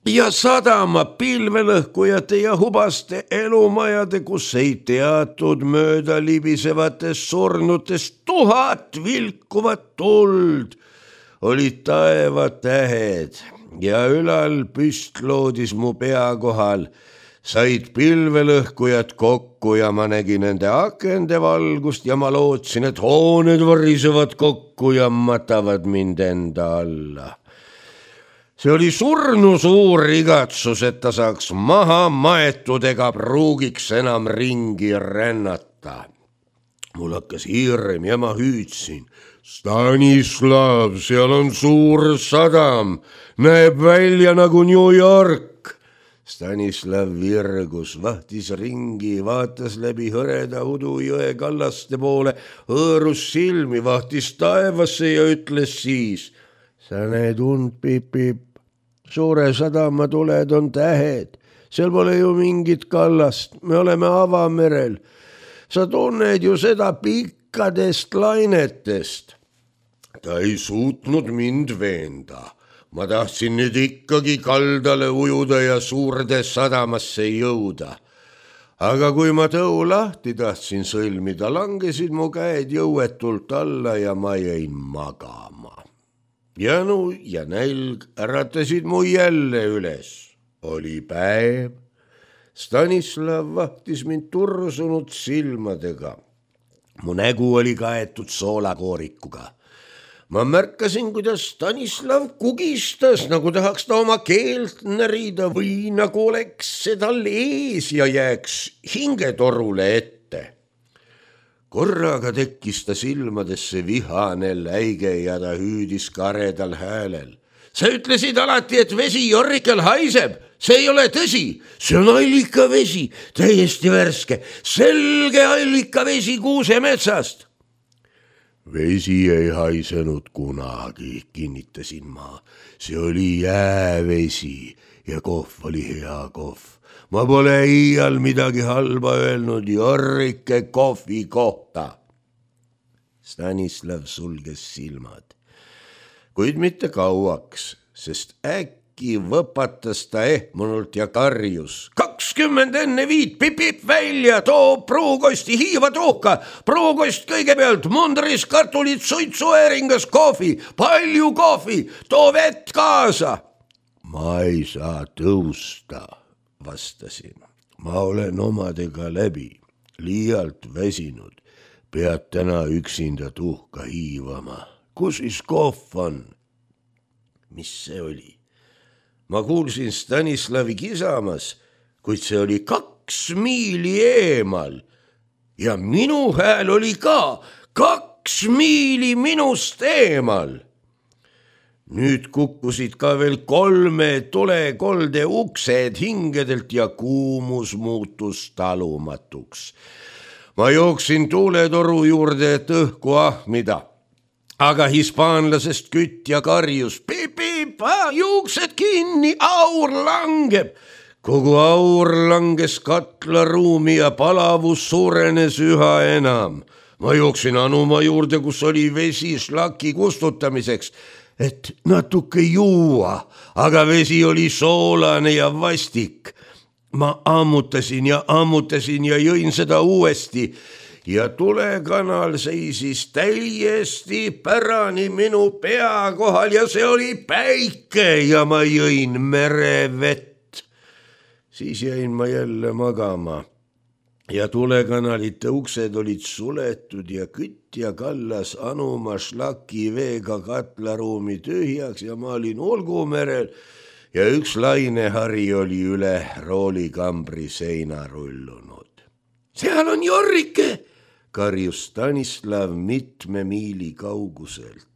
Ja sadama pilvelõhkujate ja hubaste elumajade, kus ei teatud mööda libisevatest surnutest tuhat vilkuvat tuld. Olid taevatähed ja ülal püstloodis mu pea kohal said pilvelõhkujad kokku ja ma nägin nende akende valgust ja ma lootsin, et hooned varisevad kokku ja matavad mind enda alla. See oli surnu suur igatsus, et ta saaks maha maetud ega pruugiks enam ringi rännata. Mul hakkas hirm ja ma hüüdsin. Stanislav, seal on suur sadam, näeb välja nagu New York. Stanislav virgus, vahtis ringi, vaatas läbi hõreda udu jõe kallaste poole, hõõrus silmi, vahtis taevasse ja ütles siis. Sa näed und, pip-pip, suure sadama tuled on tähed, seal pole ju mingit kallast, me oleme avamerel. Sa tunned ju seda pikkadest lainetest. Ta ei suutnud mind veenda. Ma tahtsin nüüd ikkagi kaldale ujuda ja suurde sadamasse jõuda. Aga kui ma tõu lahti tahtsin sõlmida, langesid mu käed jõuetult alla ja ma jäin magama. Janu ja nälg äratasid mu jälle üles. Oli päev. Stanislav vahtis mind tursunud silmadega. mu nägu oli kaetud soolakoorikuga. ma märkasin, kuidas Stanislav kugistas, nagu tahaks ta oma keelt närida või nagu oleks see tal ees ja jääks hingetorule ette. korraga tekkis ta silmadesse vihane läige ja ta hüüdis karedal häälel. sa ütlesid alati, et vesi Jorrikel haiseb. see ei ole tõsi, see on allikavesi, täiesti värske, selge allikavesi Kuusemetsast. vesi ei haisenud kunagi, kinnitasin ma. see oli jäävesi ja kohv oli hea kohv. ma pole iial midagi halba öelnud Jorrike kohvi kohta. Stanislav sulges silmad, kuid mitte kauaks, sest äkki võpatas ta ehmunult ja karjus. kakskümmend enne viit, pip-pip välja, too pruukosti hiiva tuhka, pruukost kõigepealt, mundris kartulid, suitsuääringas kohvi, palju kohvi, too vett kaasa. ma ei saa tõusta, vastasin. ma olen omadega läbi, liialt väsinud, pead täna üksinda tuhka hiivama. kus siis kohv on? mis see oli? ma kuulsin Stanislavi kisamas, kuid see oli kaks miili eemal ja minu hääl oli ka kaks miili minust eemal. nüüd kukkusid ka veel kolme tulekolde uksed hingedelt ja kuumus muutus talumatuks. ma jooksin tuuletoru juurde, et õhku ahmida, aga hispaanlasest kütja karjus pip-pip, juuksed kinni, aur langeb. kogu aur langes katlaruumi ja palavus suurenes üha enam. ma jooksin anuma juurde, kus oli vesi šlaki kustutamiseks, et natuke juua, aga vesi oli soolane ja vastik. ma ammutasin ja ammutasin ja jõin seda uuesti ja tulekanal seisis täiesti pärani minu pea kohal ja see oli päike ja ma jõin merevett. siis jäin ma jälle magama ja tulekanalite uksed olid suletud ja kütja kallas anuma šlaki veega katlaruumi tühjaks ja ma olin Ulgumerel ja üks lainehari oli üle roolikambri seina rullunud. seal on Jorrike, karjus Stanislav mitme miili kauguselt.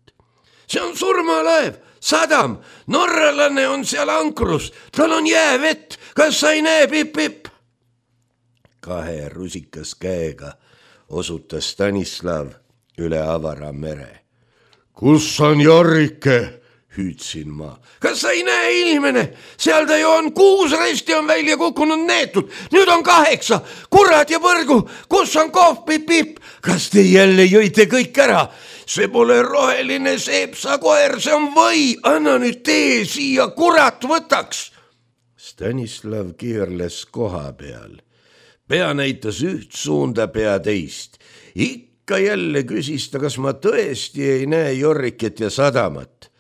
see on surmalaev, sadam, norralane on seal ankrus, tal on jäävett, kas sa ei näe, pip-pip? kahe rusikas käega osutas Stanislav üle avara mere. kus on Jorrike? hüüdsin ma. kas sa ei näe, inimene, seal ta ju on, kuus resti on välja kukkunud neetud, nüüd on kaheksa, kurat ja põrgu, kus on kohv, pip-pip? kas te jälle jõite kõik ära? see pole roheline seepsakoer, see on või, anna nüüd tee siia, kurat võtaks. Stanislav keerles koha peal, pea näitas üht suunda, pea teist. ikka jälle küsis ta, kas ma tõesti ei näe Jorriket ja sadamat.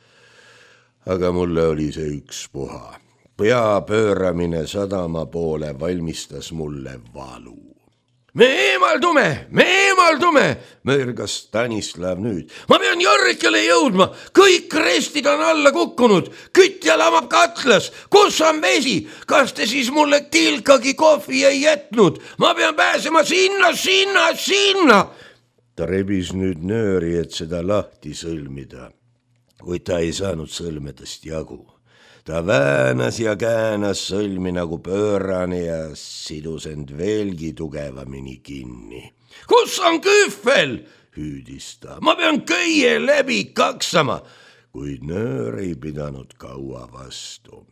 aga mulle oli see ükspuha. pea pööramine sadama poole valmistas mulle valu. me eemaldume, me eemaldume, mörgas Stanislav nüüd. ma pean Jorrikele jõudma, kõik restid on alla kukkunud, kütja lamab katlas, kus on vesi, kas te siis mulle tilkagi kohvi ei jätnud, ma pean pääsema sinna, sinna, sinna. ta rebis nüüd nööri, et seda lahti sõlmida, kuid ta ei saanud sõlmedest jagu. ta väänas ja käänas sõlmi nagu pöörane ja sidus end veelgi tugevamini kinni. kus on kühvel? hüüdis ta. ma pean köie läbi kaksama, kuid nöör ei pidanud kaua vastu.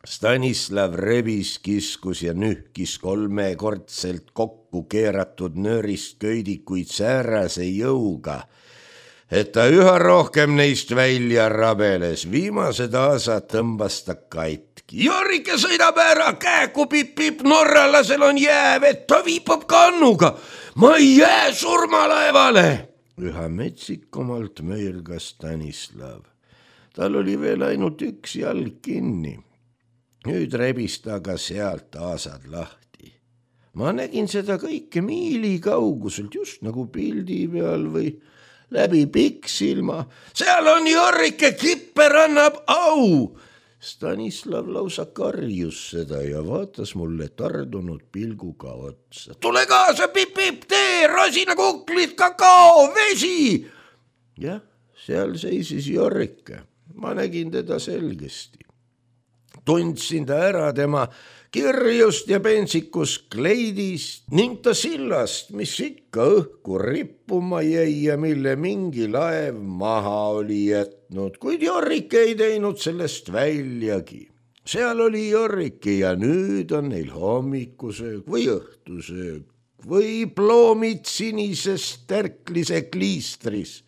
Stanislav rebis, kiskus ja nühkis kolmekordselt kokku keeratud nöörist köidikuid säärase jõuga, et ta üha rohkem neist välja rabeles. viimased aasad tõmbas ta katki. Jorrike sõidab ära, käeku pip-pip, norralasel on jäävett, ta viipab kannuga. ma ei jää surmalaevale. üha metsikumalt möirgas Stanislav. tal oli veel ainult üks jalg kinni. nüüd rebis ta ka sealt aasad lahti. ma nägin seda kõike miili kauguselt, just nagu pildi peal või läbi pikksilma. seal on Jorrike, Kipper annab au. Stanislav lausa karjus seda ja vaatas mulle tardunud pilguga otsa. tule kaasa, Pipp-Pipp, tee, rosinakuklid, kakao, vesi. jah, seal seisis Jorrike. ma nägin teda selgesti. tundsin ta ära tema kirjust ja pentsikust kleidist ning ta sillast, mis ikka õhku rippuma jäi ja mille mingi laev maha oli jätnud, kuid Jorrike ei teinud sellest väljagi. seal oli Jorrike ja nüüd on neil hommikusöök või õhtusöök või ploomid sinises tärklise kliistris.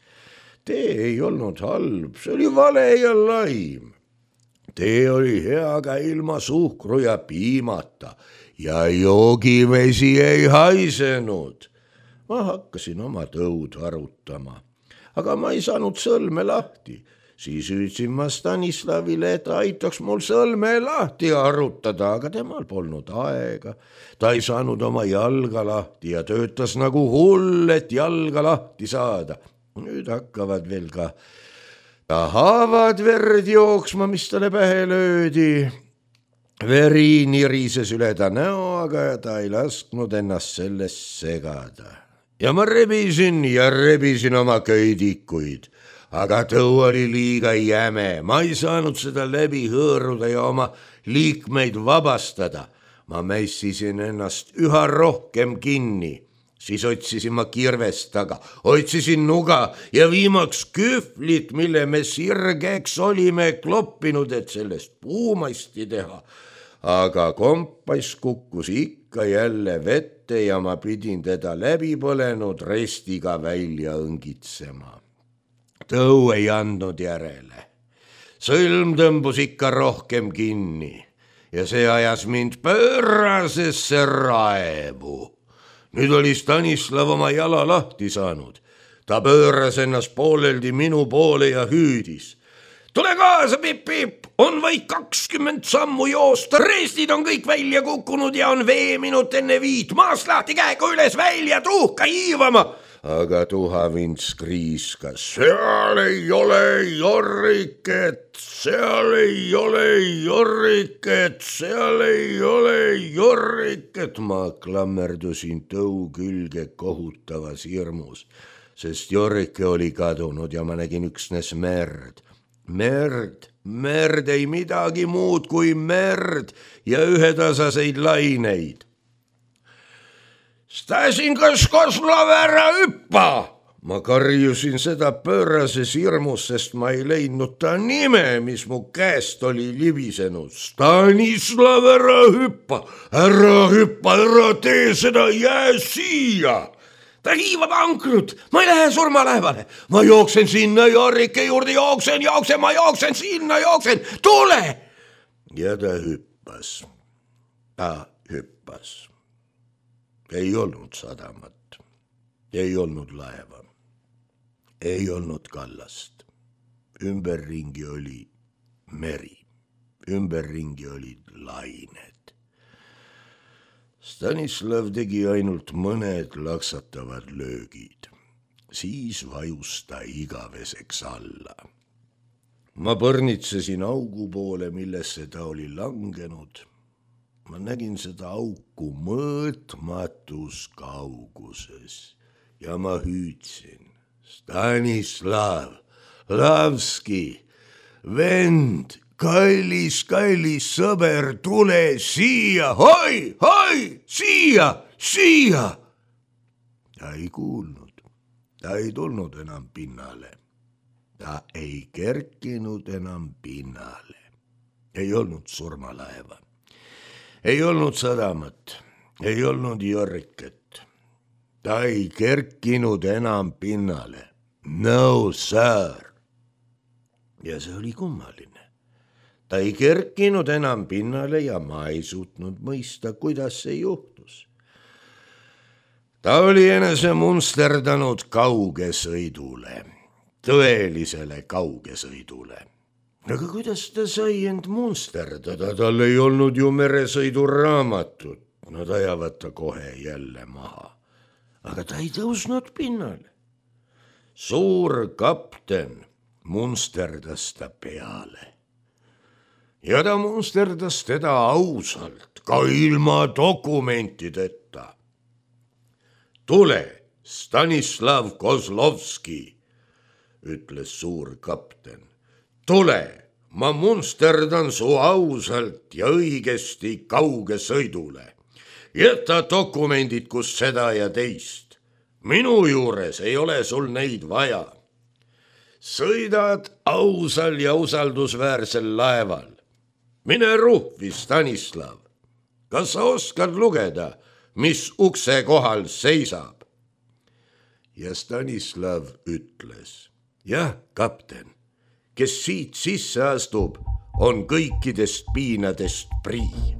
tee ei olnud halb, see oli vale ja laim. tee oli hea ka ilma suhkru ja piimata ja joogivesi ei haisenud. ma hakkasin oma tõud arutama, aga ma ei saanud sõlme lahti. siis hüüdsin ma Stanislavile, et aitaks mul sõlme lahti arutada, aga temal polnud aega. ta ei saanud oma jalga lahti ja töötas nagu hull, et jalga lahti saada. nüüd hakkavad veel ka ta haavad verd jooksma, mis talle pähe löödi. veri nirises üle ta näo, aga ta ei lasknud ennast sellest segada. ja ma rebisin ja rebisin oma köidikuid, aga tõu oli liiga jäme. ma ei saanud seda läbi hõõruda ja oma liikmeid vabastada. ma mässisin ennast üha rohkem kinni. siis otsisin ma kirvest taga, otsisin nuga ja viimaks kühvlit, mille me sirgeks olime kloppinud, et sellest puumasti teha. aga kompass kukkus ikka jälle vette ja ma pidin teda läbi põlenud restiga välja õngitsema. tõu ei andnud järele. sõlm tõmbus ikka rohkem kinni ja see ajas mind pöörasesse raevu. nüüd oli Stanislav oma jala lahti saanud. ta pööras ennast pooleldi minu poole ja hüüdis. tule kaasa, Pipp-Pipp, on vaid kakskümmend sammu joosta, restid on kõik välja kukkunud ja on veeminut enne viit. maast lahti, käega üles, välja, tuhka hiivama. aga tuhavints kriiskas. seal ei ole Jorriket, seal ei ole Jorriket, seal ei ole Jorriket. ma klammerdusin tõu külge kohutavas hirmus, sest Jorrike oli kadunud ja ma nägin üksnes merd. merd, merd, ei midagi muud kui merd ja ühetasaseid laineid. Stasinkas, Koslav, ära hüppa! ma karjusin seda pöörases hirmus, sest ma ei leidnud ta nime, mis mu käest oli libisenud. Stanislav, ära hüppa, ära hüppa, ära tee seda, jää siia! ta hiivab ankrut, ma ei lähe surmalaevale, ma jooksen sinna Jorrike juurde, jooksen, jooksen, ma jooksen sinna, jooksen, tule! ja ta hüppas, ta hüppas. ei olnud sadamat, ei olnud laeva, ei olnud kallast. ümberringi oli meri, ümberringi olid lained. Stanislav tegi ainult mõned laksatavad löögid, siis vajus ta igaveseks alla. ma põrnitsesin augu poole, millesse ta oli langenud. ma nägin seda auku mõõtmatus kauguses ja ma hüüdsin. Stanislav, Lavski, vend, kallis, kallis sõber, tule siia, hoi, hoi, siia, siia. ta ei kuulnud, ta ei tulnud enam pinnale, ta ei kerkinud enam pinnale. ei olnud surmalaeva, ei olnud sadamat, ei olnud Jorriket. ta ei kerkinud enam pinnale. No sir. ja see oli kummaline. ta ei kerkinud enam pinnale ja ma ei suutnud mõista, kuidas see juhtus. ta oli enese munsterdanud kaugesõidule, tõelisele kaugesõidule. aga kuidas ta sai end munsterdada, tal ei olnud ju meresõiduraamatut. Nad ajavad ta kohe jälle maha. Aga ta ei tõusnud pinnale. Suur kapten munsterdas ta peale. Ja ta munsterdas teda ausalt, ka ilma dokumentideta. Tule, Stanislav Kozlovski, ütles suur kapten. Tule, ma munsterdan su ausalt ja õigesti kauge sõidule. Jäta dokumendid, kus seda ja teist. Minu juures ei ole sul neid vaja. Sõidad ausal ja usaldusväärsel laeval. Mine ruhvi, Stanislav. Kas sa oskad lugeda, mis ukse kohal seisab? Ja Stanislav ütles, jah, kapten, kes siit sisse astub, on kõikidest piinadest prii.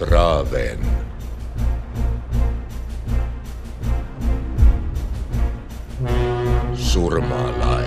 Traven. Surmalaev.